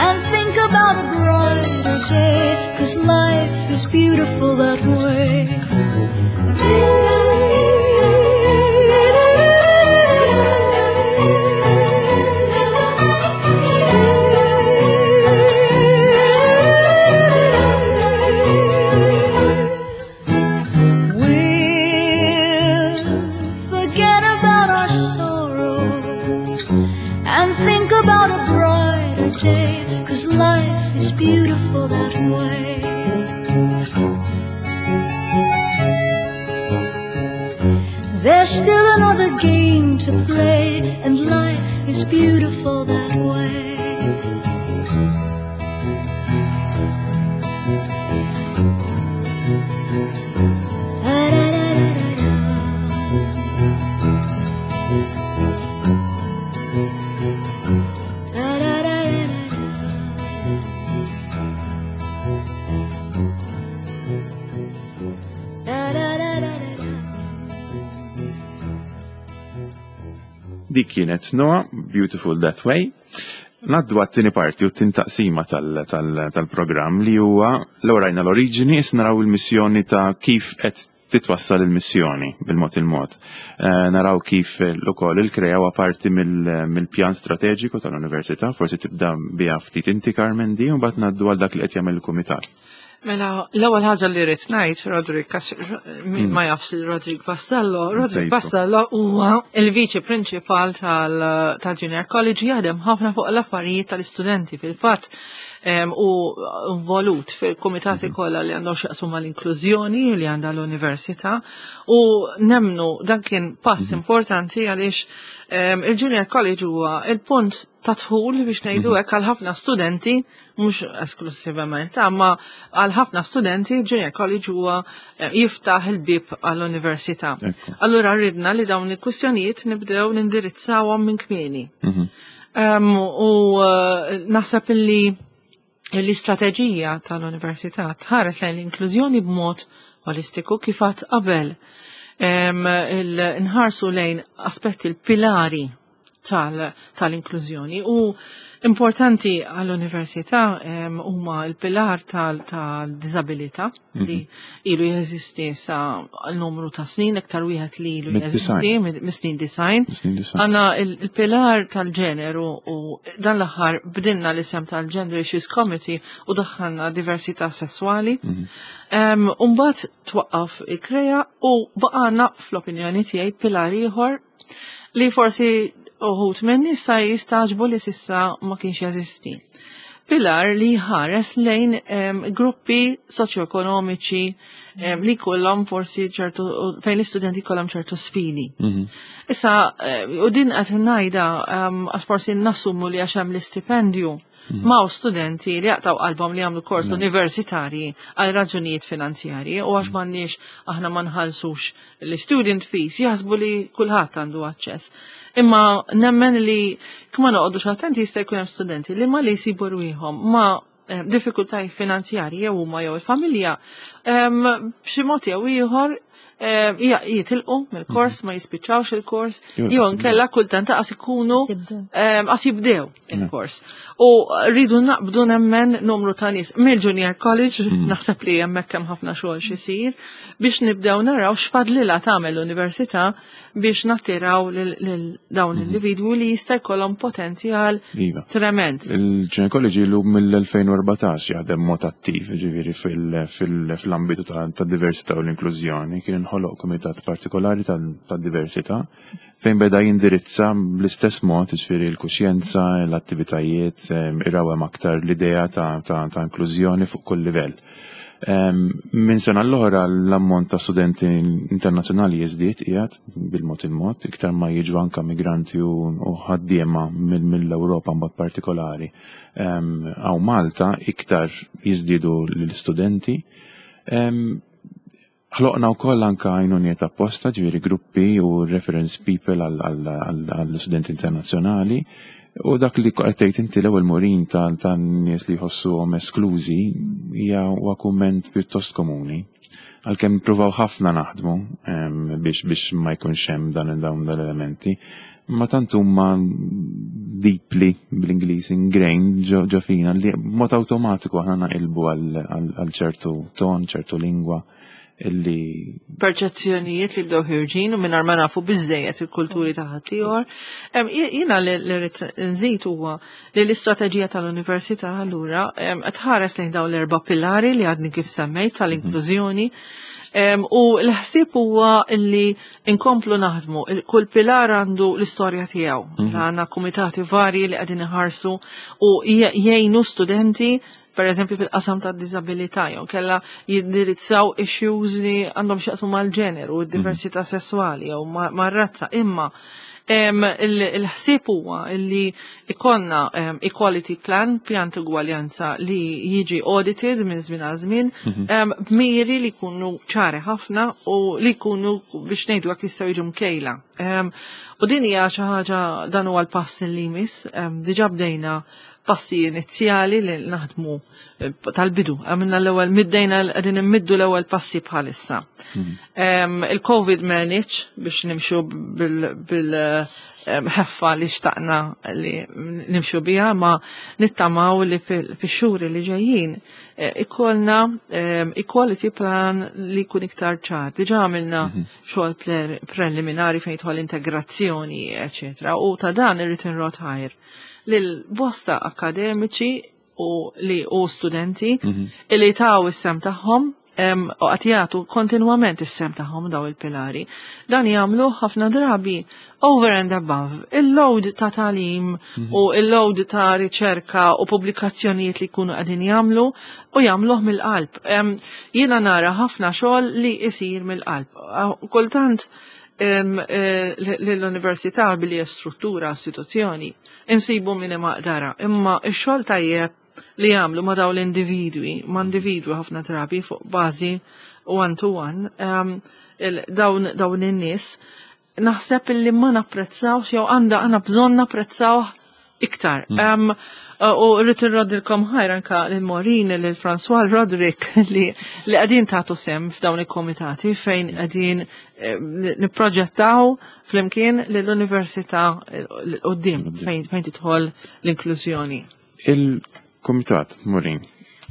[SPEAKER 5] and think about a brighter day, 'cause life is beautiful that way. We'll forget about our sorrow and think about a brighter day, 'cause life is beautiful that way. There's still another game to play, and life is beautiful that way.
[SPEAKER 1] Dik kienet Noah, Beautiful That Way. Ngħaddu għat-tieni parti u t-tieni taqsima tal-programm li huwa l rajna l-oriġini, issa naraw il-missjoni ta' kif qed titwassal il-missjoni bil-mod il-mod. Eh, naraw kif ukoll il-KREA huwa parti mill-pjan strateġiku tal-Università, forsi tibda biha ftit inti Carmen di, u mbagħad ngħaddu għal dak li qed jagħmel il-kumitat.
[SPEAKER 3] Mela, l-ewwel ħaġa li rrid ngħid, Roderick, għax min ma jafx lil Roderick Vassallo, Roderick
[SPEAKER 1] Nsejtu.
[SPEAKER 3] Vassallo huwa il-viċi prinċipal tal-Junior College, jaħdem ħafna fuq l-affarijiet tal-istudenti. Fil-fatt, em, u involut fil-komitati kollha li għandhom x'jaqsmu mal-inklużjoni li għandha l-università u nemnu dan kien pass importanti għaliex em, il-Junior College huwa il-punt ta' dħul, biex ngħidu hekk, għal ħafna studenti, mhux esklusivament, imma għal ħafna studenti il-Junior College huwa eh, jiftaħ il-bib għall-università.
[SPEAKER 1] Ekku.
[SPEAKER 3] Allura ridna li dawn il-kwistjonijiet nibdew nindirizzawhom minn kmieni.
[SPEAKER 1] Mhm.
[SPEAKER 3] Um, u uh, naħseb illi l-istrateġija tal-università tħares lejn l-inklużjoni b'mod holistiku, kif għedt qabel. Um, il- nħarsu lejn aspetti, l-pilari tal- tal-inklużjoni u importanti għall-università em, huma l-pilar tal-disabilità li ilu jeżisti sa l-numru ta' snin, iktar wieħed li ilu
[SPEAKER 1] Mid-design.
[SPEAKER 3] jeżisti mid- snin design.
[SPEAKER 1] Snin design.
[SPEAKER 3] Għandna il-pilar tal-ġeneru u dan l-aħħar bdilna l-isem tal-Gender Issues Committee u daħħalna diversità sessuali. Um, Umbagħad twaqqaf il-KREA u baqgħalna, fl-opinjoni tiegħi, pilar ieħor li forsi uħud minni sa jistagħġbu li s'issa ma kienx jeżisti. Pilar li ħares lejn em, gruppi soċjoekonomiċi em, li kollhom forsi ċertu, fejn l-istudenti kollhom ċertu sfidi.
[SPEAKER 1] Mhm.
[SPEAKER 3] Issa, eh, u din qed ngħidha em, għax forsi nassumu li għax hemm l-istipendju ma' studenti li jaqtaw qalbhom li jagħmlu kors universitarji għal raġunijiet finanzjarji u għax m'għandniex, aħna ma nħallsux l-student fees, jaħsbu li kulħadd għandu aċċess. Imma nemmen li kma noqogħdux attenti jista' jkun hemm studenti li ma li jsibu rwieħhom ma' eh, diffikultajiet finanzjarji, jew huma jew il-familja, em, b'xi mod jew ieħor eh, ja- jitilqu mill-kors, ma jispiċċawx il-kors,
[SPEAKER 1] Jew
[SPEAKER 3] jew nkella kultant qas ikunu
[SPEAKER 4] Jibdew.
[SPEAKER 3] em, qas jibdew il-kors. U rridu naqbdu, nemmen, numru ta' nies mill-Junior College, naħseb li hemmhekk hemm ħafna xogħol xisir, biex nibdew naraw x'fadlilha tagħmel l-università biex nattiraw lil lil dawn l-individwi li jista' jkollhom potenzjal
[SPEAKER 1] Iva.
[SPEAKER 3] trement.
[SPEAKER 1] Il-Junior College ilu mill-elfejn u erbatax jaħdem mod attiv, ġifieri fil-ambitu ta' ta' diversità u l-inklużjoni. Kien inħoloq komitat partikolari ta' ta' diversità fejn beda jindirizza bl-istess mod, ġifieri l-kuxjenza, l-attivitajiet, em, irawem aktar l-idea ta', ta', ta' inklużjoni fuq kull livell. Em, Minn sena l-oħra l-ammont ta' studenti internazzjonali jiżdied qiegħed bil-mod il-mod, iktar ma jiġu anka migranti u u ħaddiema mill- mill-Ewropa mod partikolari. Em, Hawn Malta iktar jiżdiedu l-istudenti. Em, Ħloqna wkoll anka għajnuniet apposta, ġifieri gruppi u reference people għall-studenti internazzjonali. U dak li qed tgħid inti l-ewwel, Maureen, tan-nies li jħossuhom esklużi hija huwa kumment pjuttost komuni. Għalkemm pruvaw ħafna naħdmu em, biex biex ma jkunx hemm dan dawn l-elementi. Ma tant huma deeply, bl-Ingliż, ingrained ġo ġo fina li mod awtomatiku aħna naqilbu għal għal ċertu ton, ċertu lingwa illi
[SPEAKER 3] perċezzjonijiet li bdew ħirġin u mingħajr ma nafu biżejjed il-kulturi ta' ħaddieħor. Em, Jiena li li rrid nżid huwa li l-istrateġija tal-università allura em, qed tħares lejn dawn l-erba' pilari li għadni kif semmejt tal-inklużjoni. Em, U l-ħsieb huwa li inkomplu naħdmu. Il- Kull pilar għandu l-istorja tiegħu. Għandna kumitati varji li qegħdin iħarsu u jgħinu studenti, per eżempju fil-qasam ta' disabilità, jew kella jindirizzaw issues li għandhom x'jaqsmu mal-ġeneru, u d-diversità sessuali jew ma- mar-razza, imma em, il- il-ħsieb huwa li ikollna em, equality plan, pjan ta' ugwaljanza li jiġi audited minn żmien għal żmien, em, b'miri li jkunu ċari ħafna u li jkunu, biex ngħidu hekk, jistgħu jiġu mkejla. Em, U din hija xi ħaġa, dan huwa l-pass li jmiss, em, diġà bdejna passi inizjali li naħdmu eh, tal-bidu. Għamilna l-ewwel, middejna, qegħdin immiddu l-ewwel passi bħalissa. Em, Il-Covid m'għenx biex nimxu bil-ħeffa li xtaqna li nimxu biha, ma nittamaw li fil-xhur li ġejjin eh, ikollna em, equality plan li jkun iktar ċar. Diġà għamilna xogħol pre- preliminari fejn jidħol integrazzjoni, eċetera. U ta' dan irrid inrodd ħajr lil bosta akademiċi u li u studenti li taw is-sehem tagħhom. U qed jagħtu kontinwament is-sehem tagħhom daw il-pilari. Dan jagħmlu ħafna drabi over and above il-load ta' tagħlim u il-load ta' riċerka u pubblikazzjonijiet li jkunu qegħdin jagħmlu u jagħmluh mill-qalb. Jiena nara ħafna xogħol li isir mill-qalb. Kultant eh, l-università billi struttura, istituzzjoni, insibu min maqdara, imma x-xogħol tajjeb li jagħmlu ma' daw l-individwi, ma' individwi ħafna drabi fuq bażi one to one, um, dawn dawn in-nies, naħseb illi ma napprezzawx jew għandha għandna bżonn napprezzaw iktar. Mm. Um, u rrid irroddilkom ħajr anka lil Maureen, lil François Roderick li li qegħdin tagħtu sehem f'dawn il-komitati fejn qegħdin eh, nipproġettaw flimkien lill-università quddiem fejn fejn tidħol l-inklużjoni.
[SPEAKER 1] Il-komitat, Maureen,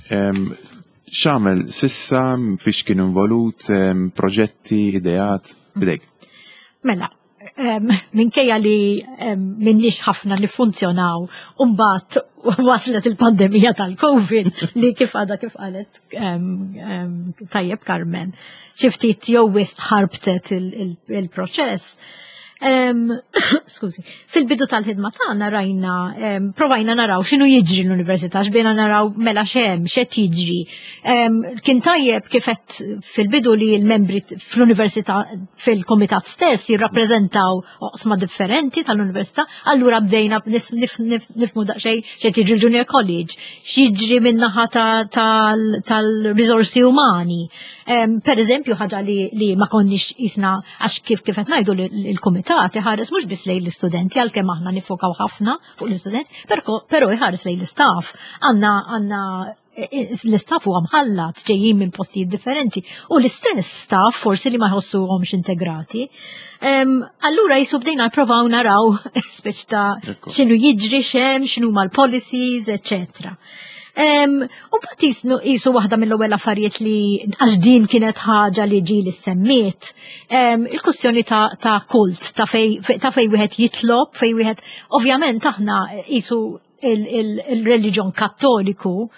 [SPEAKER 1] x'għamel s'issa, fiex kien involut, proġetti, ideat, bidejk?
[SPEAKER 4] Mela, minkejja li m'ilniex ħafna li funzjonaw, mbagħad waslet il-pandemija tal-Covid li kif għada kif qalet tajjeb Carmen, xi ftit jew wisq ħarbtet il-proċess. Skużi, fil-bidu tal-ħidma tagħna rajna, provajna naraw x'inhu jiġri l-università, x'bdejna naraw mela x'hemm, x'qed jiġri. Kien tajjeb kif qed fil-bidu li l-membri fl-università fil-komitat stess jirrappreżentaw oqsma differenti tal-università, allura bdejna nifhmu daqsxejn x'qed jiġri l-Junior College, x'jiġri min-naħa tal-riżorsi umani. Per eżempju, ħaġa li ma konniex jisna għax kif kif qed ngħidu il-kumitat iħares mhux biss lejn l-istudenti għalkemm aħna nifokaw ħafna fuq l-istudenti, però iħares lejn l-istaff. Għandna għandna l-istaff huwa mħallat ġejjin minn postijiet differenti u l-istess staff forsi li ma jħossuhomx integrati. Allura jisu bdejna nipprovaw naraw speċ ta' x'inhu jiġri x'hemm, x'inhu l-policies, eccetera. U bat jisu waħda mill-ewwel affarijiet li għax din kienet ħaġa li ġi li semmiet, il-kwestjoni ta' kult, ta' fej ta' fej wieħed jitlob, fej wieħed, ovvjament aħna jisu il-reliġjon kattoliku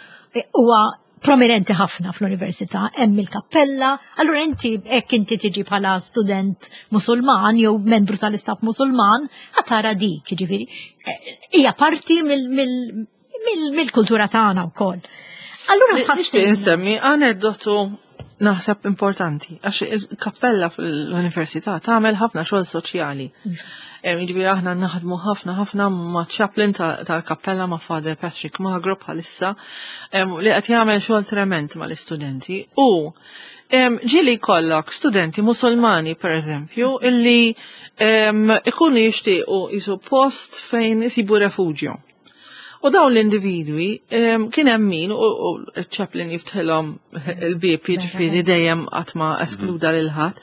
[SPEAKER 4] huwa prominenti ħafna fl-università, hemm il-kappella, allura inti hekk inti tiġi bħala student musulman jew membru tal-istaff musulman, ħa tara dik, jiġifieri. Hija parti mill-kultura tagħna wkoll. Allura
[SPEAKER 3] Nixtieq insemmi aneddotu naħseb importanti, għax il-kappella fl-università tagħmel ħafna xogħol soċjali. Jiġifieri aħna naħdmu ħafna ħafna ma' chaplain tal-kappella ma' Father Patrick Magro bħalissa li qed jagħmel xogħol trement mal-istudenti u ġieli jkollok studenti musulmani per eżempju illi ikunu jixtiequ jisu post fejn isibu refugio. U dawn l-individwi kien hemm min u ċ-chaplain jiftħilhom il-bieb jiġifieri dejjem qatt ma eskluda lil ħadd.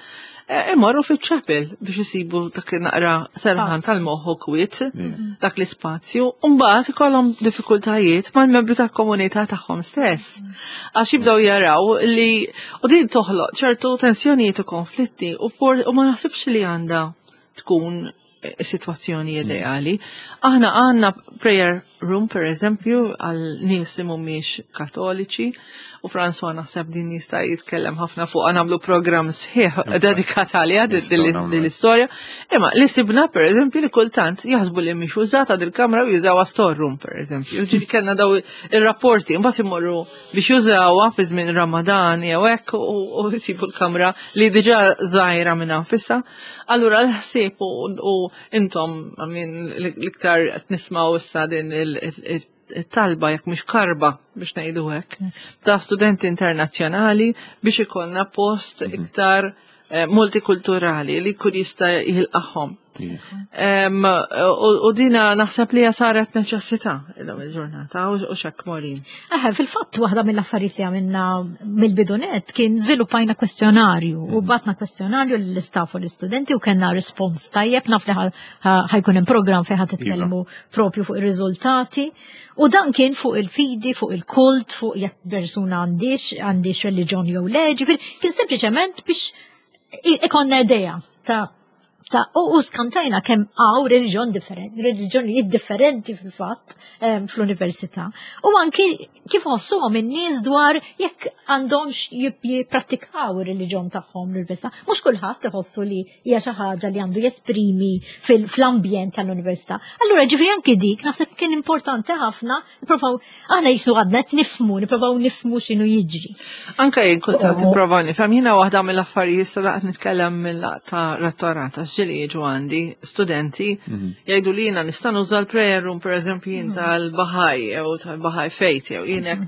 [SPEAKER 3] Imorru fiċ-chapel biex isibu dak naqra serħan tal-moħħ u kwiet dak l-ispazju, u mbagħad ikollhom diffikultajiet mal-membri tal-komunità tagħhom stess. Għax jibdew jaraw li u din toħloq ċertu tensjonijiet u konflitti u u ma naħsibx li għandha tkun situazzjoni ideali. Aħna għandna prayer room, per eżempju, għal nies li mhumiex katoliċi, u François naħseb din jista' jitkellem ħafna fuq nagħmlu programm sħiħ dedikat għaliha din l-istorja. Imma li sibna per eżempju li kultant jaħsbu li mhix użata dil-kamra u jużawha storeroom per eżempju. Ġieli kellna daw ir-rapporti mbagħad imorru biex jużawha fi żmien Ramadan jew hekk u jsibu l-kamra li diġà żgħira minn nfisha. Allura l-ħsieb u intom l-iktar qed nismgħu issa din il-talba jekk mhux karba biex ngħidu hekk ta' studenti internazzjonali biex ikollna post iktar multikulturali li kull jista' jilqahom. U dina naħseb li saret neċessità illum il-ġurnata u xek Maureen.
[SPEAKER 4] Eħe, fil-fatt waħda mill-affarijiet li għamilna mill-bidu nett kien żviluppajna kwestjonarju u bgħatna kwestjonarju lill-istaff u l-istudenti u kellna respons tajjeb naf li ħa jkun hemm programm fejn ħa titkellmu propju fuq ir-riżultati. U dan kien fuq il-fidi, fuq il-kult, fuq jekk persuna għandix, għandix reliġjon jew le, kien sempliċement biex ikonna idea ta' ta' u skantajna kemm hawn reliġjon differenti, reliġjonijiet differenti fil-fatt fl-università. U anki kif ħossuhom in-nies dwar jekk għandhomx jipprattikaw ir-reliġjon tagħhom l-università. Mhux kulħadd iħossu li hija xi ħaġa li għandu jesprimi fl-ambjent tal-università. Allura ġifieri anki dik naħseb kien importanti ħafna nipprovaw aħna jisu għadna qed nifhmu, nipprovaw nifhmu x'inhu jiġri.
[SPEAKER 3] Anke jien kultant nipprova nifhem, jiena waħda mill-affarijiet issa laqt nitkellem mill-ta' rettorat għax ġieli jiġu għandi studenti jgħidu li jiena nista' nuża l-prayer room pereżempju jien tal-Bahá'í jew tal-Bahá'í Faith jew jien hekk.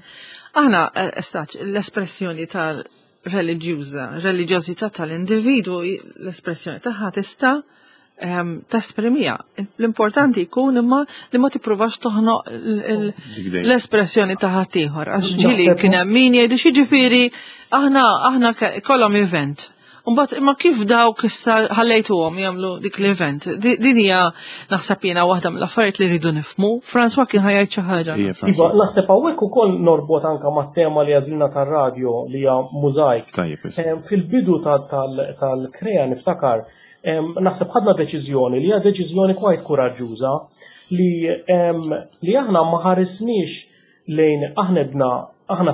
[SPEAKER 3] Aħna essaċ l-espressjoni tal-reliġjuża, reliġjożità tal-individwu, l-espressjoni tagħha tista' tesprimija. L-importanti jkun imma li ma tippruvax toħnoq l-espressjoni ta' ħaddieħor. Għax ġieli kien hemm min jgħidu xi aħna aħna kollhom event. Mbagħad imma kif dawk issa ħallejtuhom jagħmlu dik l-event? Din hija naħseb jiena waħda mill-affarijiet li rridu nifhmu. François kien ħajjed xi ħaġa.
[SPEAKER 2] Iva, naħseb hawnhekk ukoll norbot anke mat-tema li għażilna tar-radju li hija mużajk. Fil-bidu tal-Krea niftakar naħseb ħadna deċiżjoni li hija deċiżjoni kwajt kuraġġuża li li aħna ma ħarisniex lejn aħna bna aħna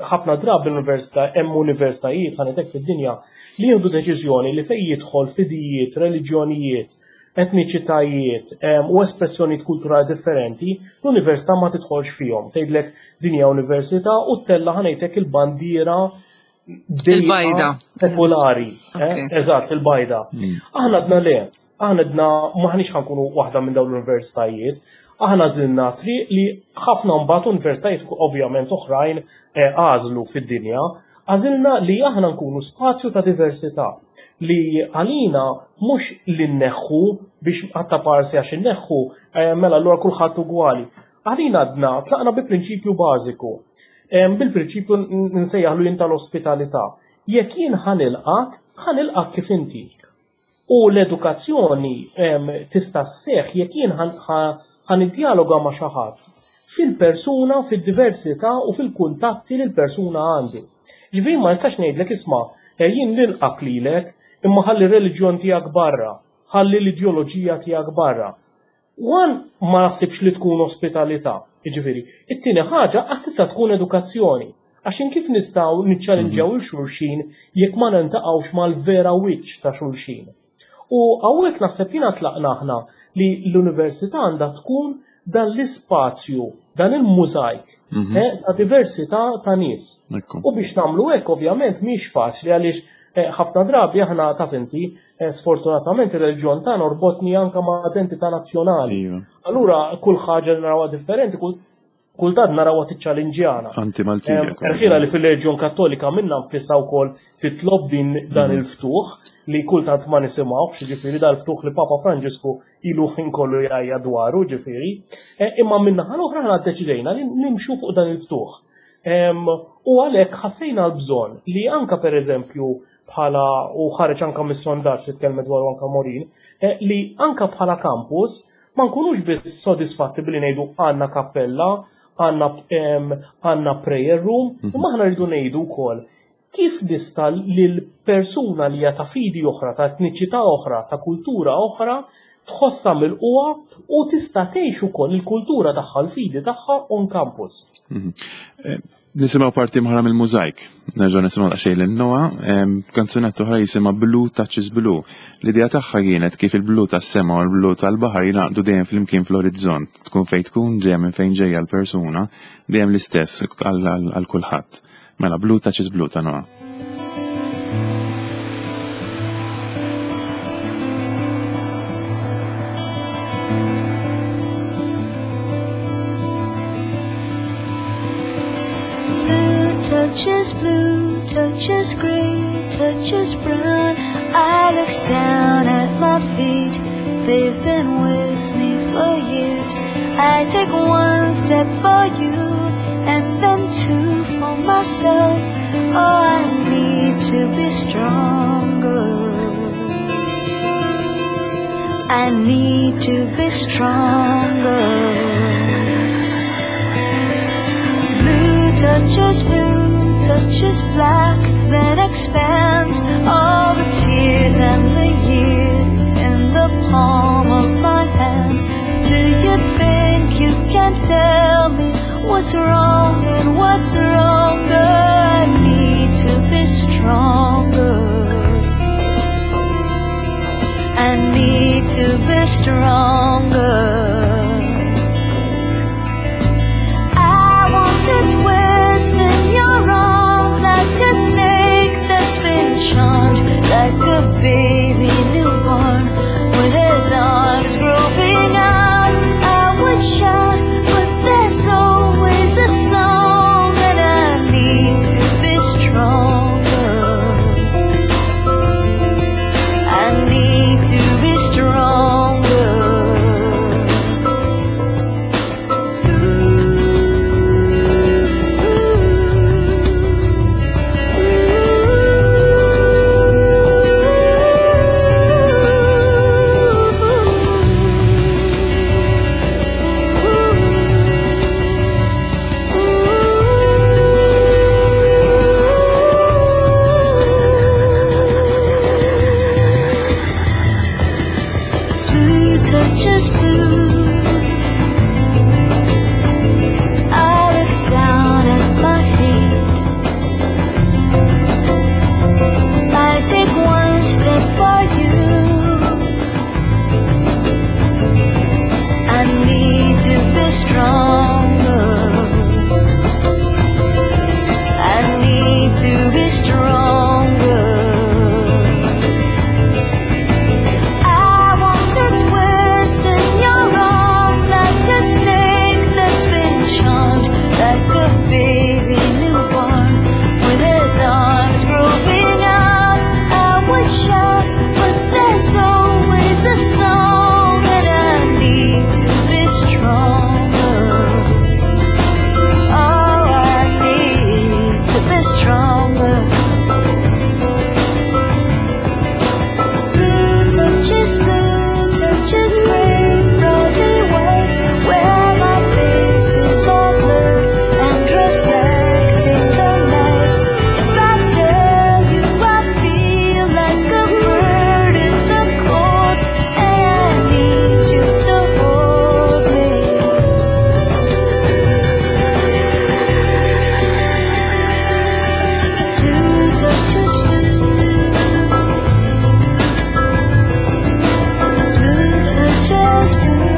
[SPEAKER 2] ħafna drabi l-università hemm universitajiet ħanetek fid-dinja li jieħdu deċiżjoni li fejn jidħol fidijiet, reliġjonijiet, etniċitajiet u espressjonijiet kulturali differenti, l-università ma tidħolx fihom. Tgħidlek din hija università u ttella' ħanejtek il-bandiera
[SPEAKER 3] il-bajda
[SPEAKER 2] sekulari. Eżatt, il-bajda. Aħna għedna le, aħna għedna maħniex ħankunu waħda minn dawn l-universitajiet. Aħna żilna triq li ħafna mbagħad universitajiet ovvjament oħrajn għażlu fid-dinja, għażilna li aħna nkunu spazju ta' diversità li għalina mhux li nneħħu biex għatta parsi għax inneħħu mela allura kulħadd ugwali. Għalina għadna tlaqna bi prinċipju bażiku. Bil-prinċipju nsejjaħlu jien tal-ospitalità. Jekk jien ħanilqak, ħanilqak kif inti. U l-edukazzjoni tista' sseħħ jekk jien ħaniddialoga ma' xi ħadd fil-persuna, fid-diversità u fil-kuntatti li l-persuna għandi. Ġifieri ma nistax ngħidlek isma' jien nilqak lilek imma ħalli r-reliġjon tiegħek barra, ħalli l-ideoloġija tiegħek barra. Wan ma naħsibx li tkun ospitalità, jiġifieri. It-tieni ħaġa għas tista' tkun edukazzjoni. Għax kif nistgħu niċċallinġjaw il xulxin jekk ma nintaqgħux mal-vera wiċċ ta' xulxin. U hawnhekk naħseb jiena tlaqna aħna li l-università għandha tkun dan l-ispazju, dan il-mużajk ta' diversità ta' nies. U biex nagħmlu hekk ovvjament mhix faċli għaliex ħafna drabi aħna taf inti sfortunatament ir-reliġjon tagħna orbotni anke ma' identità nazzjonali. Allura kull ħaġa li narawha differenti, kultant narawha tiċċallinġjana.
[SPEAKER 1] Anti-Maltija.
[SPEAKER 2] Erħira li fil-reliġjon Kattolika minna nfisha wkoll titlob din dan il-ftuħ li kultant ma nisimgħux, ġifieri dal-ftuħ li Papa Franġisku ilu ħin kollu jgħajja dwaru, ġifieri. Imma min-naħa l-oħra aħna ddeċidejna li nimxu fuq dan il-ftuħ. U għalhekk ħassejna l-bżonn li anka pereżempju bħala u ħareġ anka mis-sondaġġ li tkellmet dwaru anka Maureen, li anka bħala campus ma nkunux biss sodisfatti billi ngħidu għandna kappella, għandna prayer room, imma aħna rridu ngħidu wkoll kif nista' lil persuna li hija ta' fidi oħra, ta' etniċità oħra, ta' kultura oħra, tħossha mill-qwa u tista' tgħix ukoll il-kultura tagħha, l-fidi tagħha on campus.
[SPEAKER 1] Nisimgħu parti oħra mill-mużajk. Nerġgħu nisimgħu daqsxejn lil Noah, kanzunetta oħra jisimha Blue Touches Blue. L-idea tagħha kienet kif il-blu tas-sema u l-blu tal-baħar jingħaqdu dejjem flimkien fl-orizzont. Tkun fejn tkun ġejja minn fejn ġejja l-persuna, dejjem l-istess għal kulħadd. Mela Blue Touches Blue ta' Noah.
[SPEAKER 5] Touches blue, touches gray, touches brown. I look down at my feet, they've been with me for years. I take one step for you, and then two for myself. Oh, I need to be stronger. I need to be stronger. Blue touches blue, touches black, then expands all the tears and the years. of my hand. Do you think you can tell me what's wrong and what's wronger? I need to be stronger. I need to be stronger. I want to twist in your arms like a snake that's been charmed, like a baby newborn with his arms groping out. I would shout, but there's always a song, and I need to be stronger. I need to be stronger. Blue touches blue. I look down at my feet. I take one step for you. I need to be stronger. I need to be stronger. I want to twist in your arms like a snake that's been charmed, like a baby newborn with his arms groping out. I would shout, but there's always a song, and I need to be stronger. Oh, I need to be stronger. Blue touches blue, touches gray, probably white, where my face is all blurred and reflecting the light. If I tell you I feel like a bird in the cold, and I need you to hold me. Blue touches blue. Blue touches blue.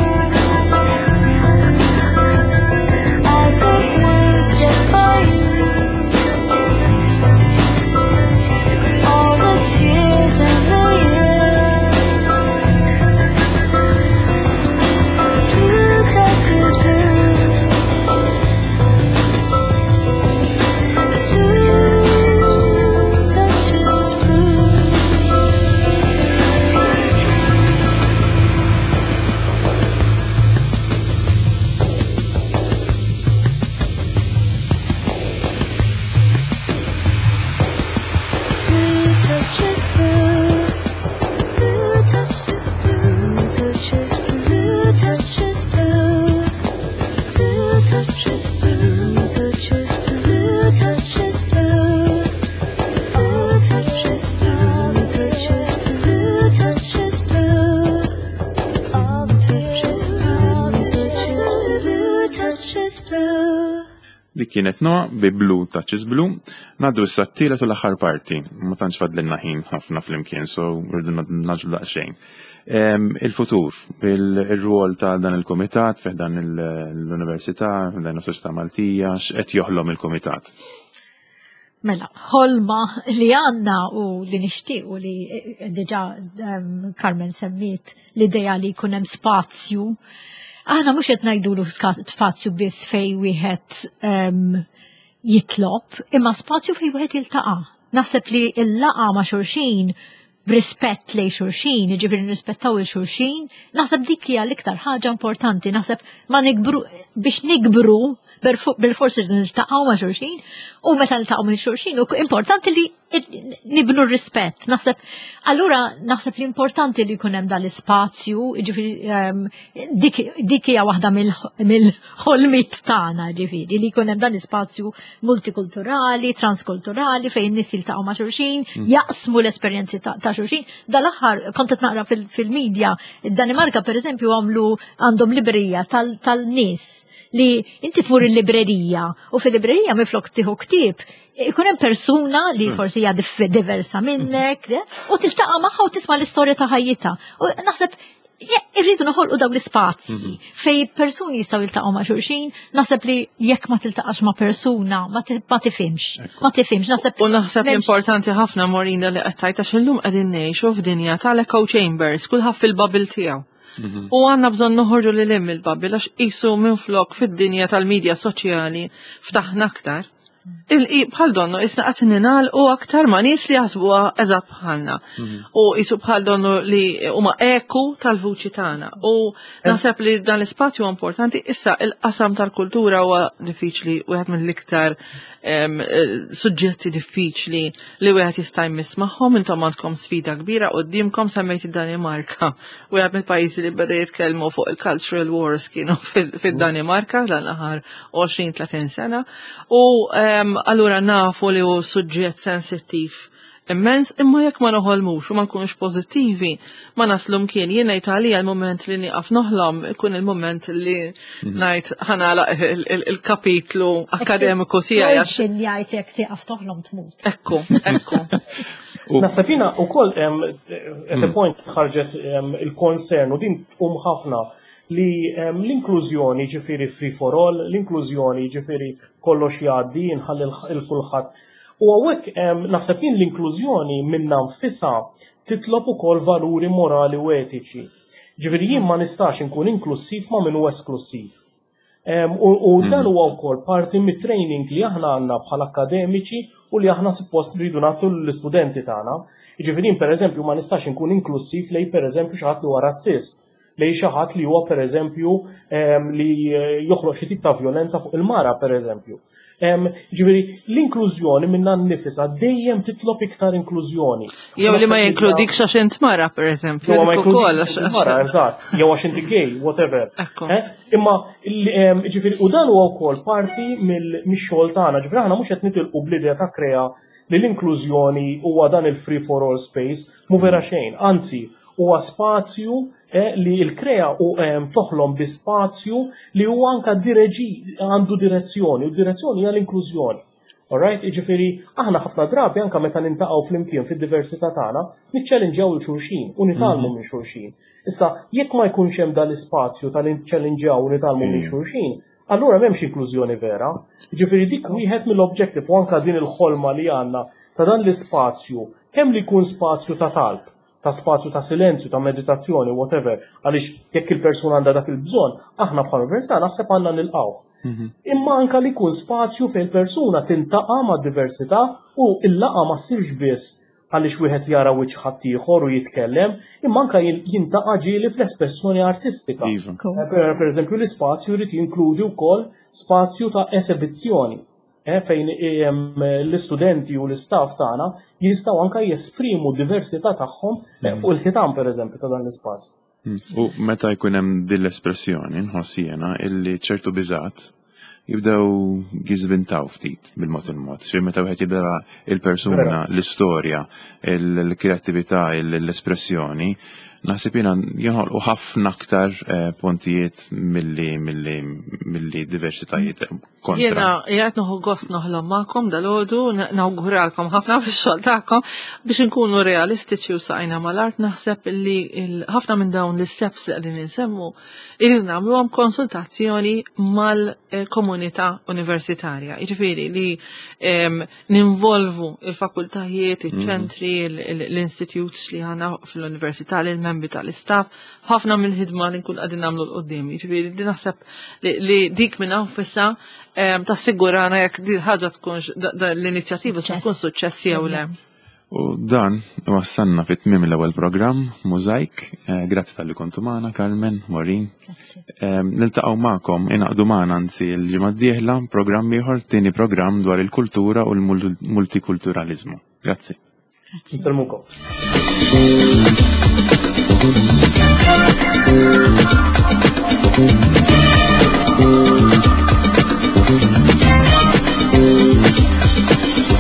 [SPEAKER 5] I take one step for you. All the tears in the year. Blue touches blue. Blue touches blue. Blue touches blue. Blue touches blue. Touches blue. Touches blue. Blue touches blue. Touches blue. Touches blue. Blue touches blue. Touches blue. Touches blue. All the touches blue. Touches blue. Touches blue.
[SPEAKER 1] Dik kienet Noa bi Blue Touches Blue. Ngħaddu issa t-tielet u l-aħħar parti. Ma tantx fadlilna ħin ħafna flimkien, so rridu ngħaġġlu daqsxejn. Em, Il-futur, il-rwol ta' dan il-komitat, fi dan l-Università, dan is-Soċjetà Maltija, x'qed joħlom il-komitat.
[SPEAKER 4] Mela, ħolma li għandna u li nixtieq u li eh, diġà um, Carmen semmiet l-ideja li jkun hemm spazju. Aħna mhux qed ngħidulu ska- spazju biss fej wieħed um, jitlob, imma spazju fej wieħed jiltaqa'. Naħseb li l-laqgħa ma' xulxin b'rispett lejn xulxin, jiġifieri nirrispettaw lil xulxin, naħseb dik hija l-iktar ħaġa importanti, naħseb ma nikbru biex nikbru, Bil-forsi rridu niltaqgħu ma' xulxin u meta niltaqgħu minn xulxin u importanti li nibnu r-rispett. Naħseb, allura naħseb li importanti li jkun hemm dal-ispazju, ġifieri ehm, dik dik hija waħda mill-ħolmiet tagħna, ġifieri li jkun hemm dan l-ispazju multikulturali, transkulturali fejn nies jiltaqgħu ma' xulxin, mm. jaqsmu l-esperjenzi ta' xulxin. Dal-aħħar kont qed naqra fil-medja, id-Danimarka, pereżempju, għamlu għandhom librerija tal-nies li inti tmur il-librerija u fil-librerija miflok tieħu ktieb ikun hemm persuna li hmm. forsi hija diversa minnek u tiltaqa' magħha u tisma' l-istorja ta' ħajjitha. U naħseb irridu noħolqu dawn l-ispazji mhm. fej persuni jistgħu jiltaqgħu ma' xulxin, naħseb li jekk ma tiltaqax ma' persuna ma tifhimx, ma tifhimx, naħseb.
[SPEAKER 3] U naħseb importanti ħafna, Morina, li qed tgħid, għax illum qegħdin ngħixu f'dinja tal-echo chambers, kulħadd fil-bubble tiegħu. Mhm. U għandna bżonn noħorġu lil hemm il-bubble, għax qisu minn flok fid-dinja tal-medja soċjali ftaħna aktar. Bħal donnu isna qed u aktar ma' nies li jaħsbuha eżatt bħalna. Mhm. U qisu bħal donnu li huma eku tal-vuċi tagħna. U naħseb li dan l-ispazju importanti. Issa il-qasam tal-kultura huwa diffiċli, wieħed mill-iktar suġġetti diffiċli li wieħed jista' jmiss magħhom. Intom għandkom sfida kbira qudiemkom. Semmejt id-Danimarka. Wieħed mill-pajjiżi li beda jitkellmu fuq il-cultural wars kienu fid-Danimarka dan l-aħħar għoxrin tletin sena. U allura nafu li hu suġġett sensittiv immens, imma jekk ma noħolmux u ma nkunux pożittivi, ma naslu mkien. Jien ngħid għalija l-moment li nieqaf noħlom ikun il-moment li mhm. ngħid ħa nagħlaq il-kapitlu akademiku tiegħi.
[SPEAKER 4] Għax jgħid jekk tieqaf toħlom tmut.
[SPEAKER 3] Ekku, ekku.
[SPEAKER 2] Naħseb jiena wkoll at a mm. point ħarġet il-concern u din tqum ħafna li l-inklużjoni ġifieri free for all, l-inklużjoni ġifieri kollox jgħaddi, nħalli l-kulħadd. U hawnhekk naħseb jien l-inklużjoni minnha nfisha titlob ukoll valuri morali u etiċi. Ġifieri jien ma nistax inkun inklusiv ma' min hu esklusiv. U mm. dan huwa wkoll parti mit-training li aħna għandna bħala akademiċi u li aħna suppost rridu nagħtu l-istudenti tagħna. Ġifieri pereżempju ma nistax inkun inklusiv lej, pereżempju, xi ħadd li huwa razzist, lej xi ħadd li huwa, pereżempju, li joħloq xi tip ta' violenza fuq il-mara, pereżempju. Ġifieri l-inklużjoni minnha nnifisha dejjem titlob iktar inklużjoni.
[SPEAKER 3] Jew li ma jinkludikx għax int mara, pereżempju.
[SPEAKER 2] Jew ma jinkludikx mara, eżatt. Jew għax inti gay, whatever. Eh? Imma ġifieri u dan huwa wkoll parti mix-xogħol tagħna. Ġifieri aħna mhux qed nitilqu bl-idea ta' Krea li l-inklużjoni huwa dan il-free for all space, mu vera xejn. Anzi, huwa spazju eh, li l-Krea u toħlom bi spazju li huwa anka direġi għandu direzzjoni, u direzzjoni hija l-inklużjoni. Alright, ġifieri, aħna ħafna drabi anka meta niltaqgħu flimkien fid-diversità tagħna, niċċellinġjaw lil xulxin u nitgħallmu mhm. minn xulxin. Issa, jekk ma jkunx hemm dal-ispazju tal-niċċellinġjaw u nitgħallmu minn mhm. xulxin, allura m'hemmx inklużjoni vera. Ġifieri dik wieħed mill-objective u anka din il-ħolma li għandna ta' dan l-ispazju, kemm li jkun spazju ta' talb, ta' spazju ta' silenzju, ta' meditazzjoni, whatever, għaliex jekk il-persuna għandha dak il-bżonn, aħna bħala università naħseb għandna nilqgħuh. Mhm. Imma anka li jkun spazju fejn persuna tiltaqa' ma' diversità u il-laqgħa ma ssirx biss għaliex wieħed jara wiċċ ħaddieħor u jitkellem, imma anka jiltaqa' ġieli fl-espressjoni artistika.
[SPEAKER 1] Iva.
[SPEAKER 2] Eh, per, per eżempju, l-ispazju jrid jinkludi wkoll spazju ta' esibizzjoni eh, fejn l-istudenti u l-istaff tagħna jistgħu anka jesprimu diversità tagħhom eh, fuq il-ħitan, pereżempju, ta' dan l-ispazju.
[SPEAKER 1] Mm. U meta jkun hemm din l-espressjoni, nħoss jiena illi ċertu biżat jibdew jiżvintaw ftit bil-mod il-mod. Xi meta wieħed jibda il-persuna, l-istorja, il-kreattività, l-espressjoni, naħseb jiena joħolqu ħafna aktar eh, pontijiet milli milli milli diversitajiet kontra.
[SPEAKER 3] Jiena jgħid nieħu gost noħlom magħkom dalgħodu, nawguralkom ħafna fix-xogħol tagħkom. Biex inkunu realistiċi u saqajna mal-art, naħseb li ħafna minn dawn l-steps li qegħdin insemmu irridu nagħmluhom konsultazzjoni mal-komunità universitarja. Jiġifieri li ninvolvu il-fakultajiet, iċ-ċentri, l-institutes li għandna fl-università, l-membri tal-istaff, ħafna mill-ħidma li nkun qegħdin nagħmlu 'l quddiem. Jiġifieri li naħseb li dik minn nfisha tassigurana jekk di ħaġa tkunx l-inizjattiva se tkun suċċessi jew le.
[SPEAKER 1] U dan wassalna fit tmiem l-ewwel programm Mużajk. Eh, Grazzi talli kontu magħna, Carmen, Maureen.
[SPEAKER 4] Grazzi.
[SPEAKER 1] Eh, Niltaqgħu magħkom, ingħaqdu magħna anzi l-ġimgħa d-dieħla programm ieħor, tieni programm dwar il-kultura u l-multikulturalizmu. Grazzi.
[SPEAKER 2] Nsellmukom.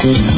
[SPEAKER 5] Thank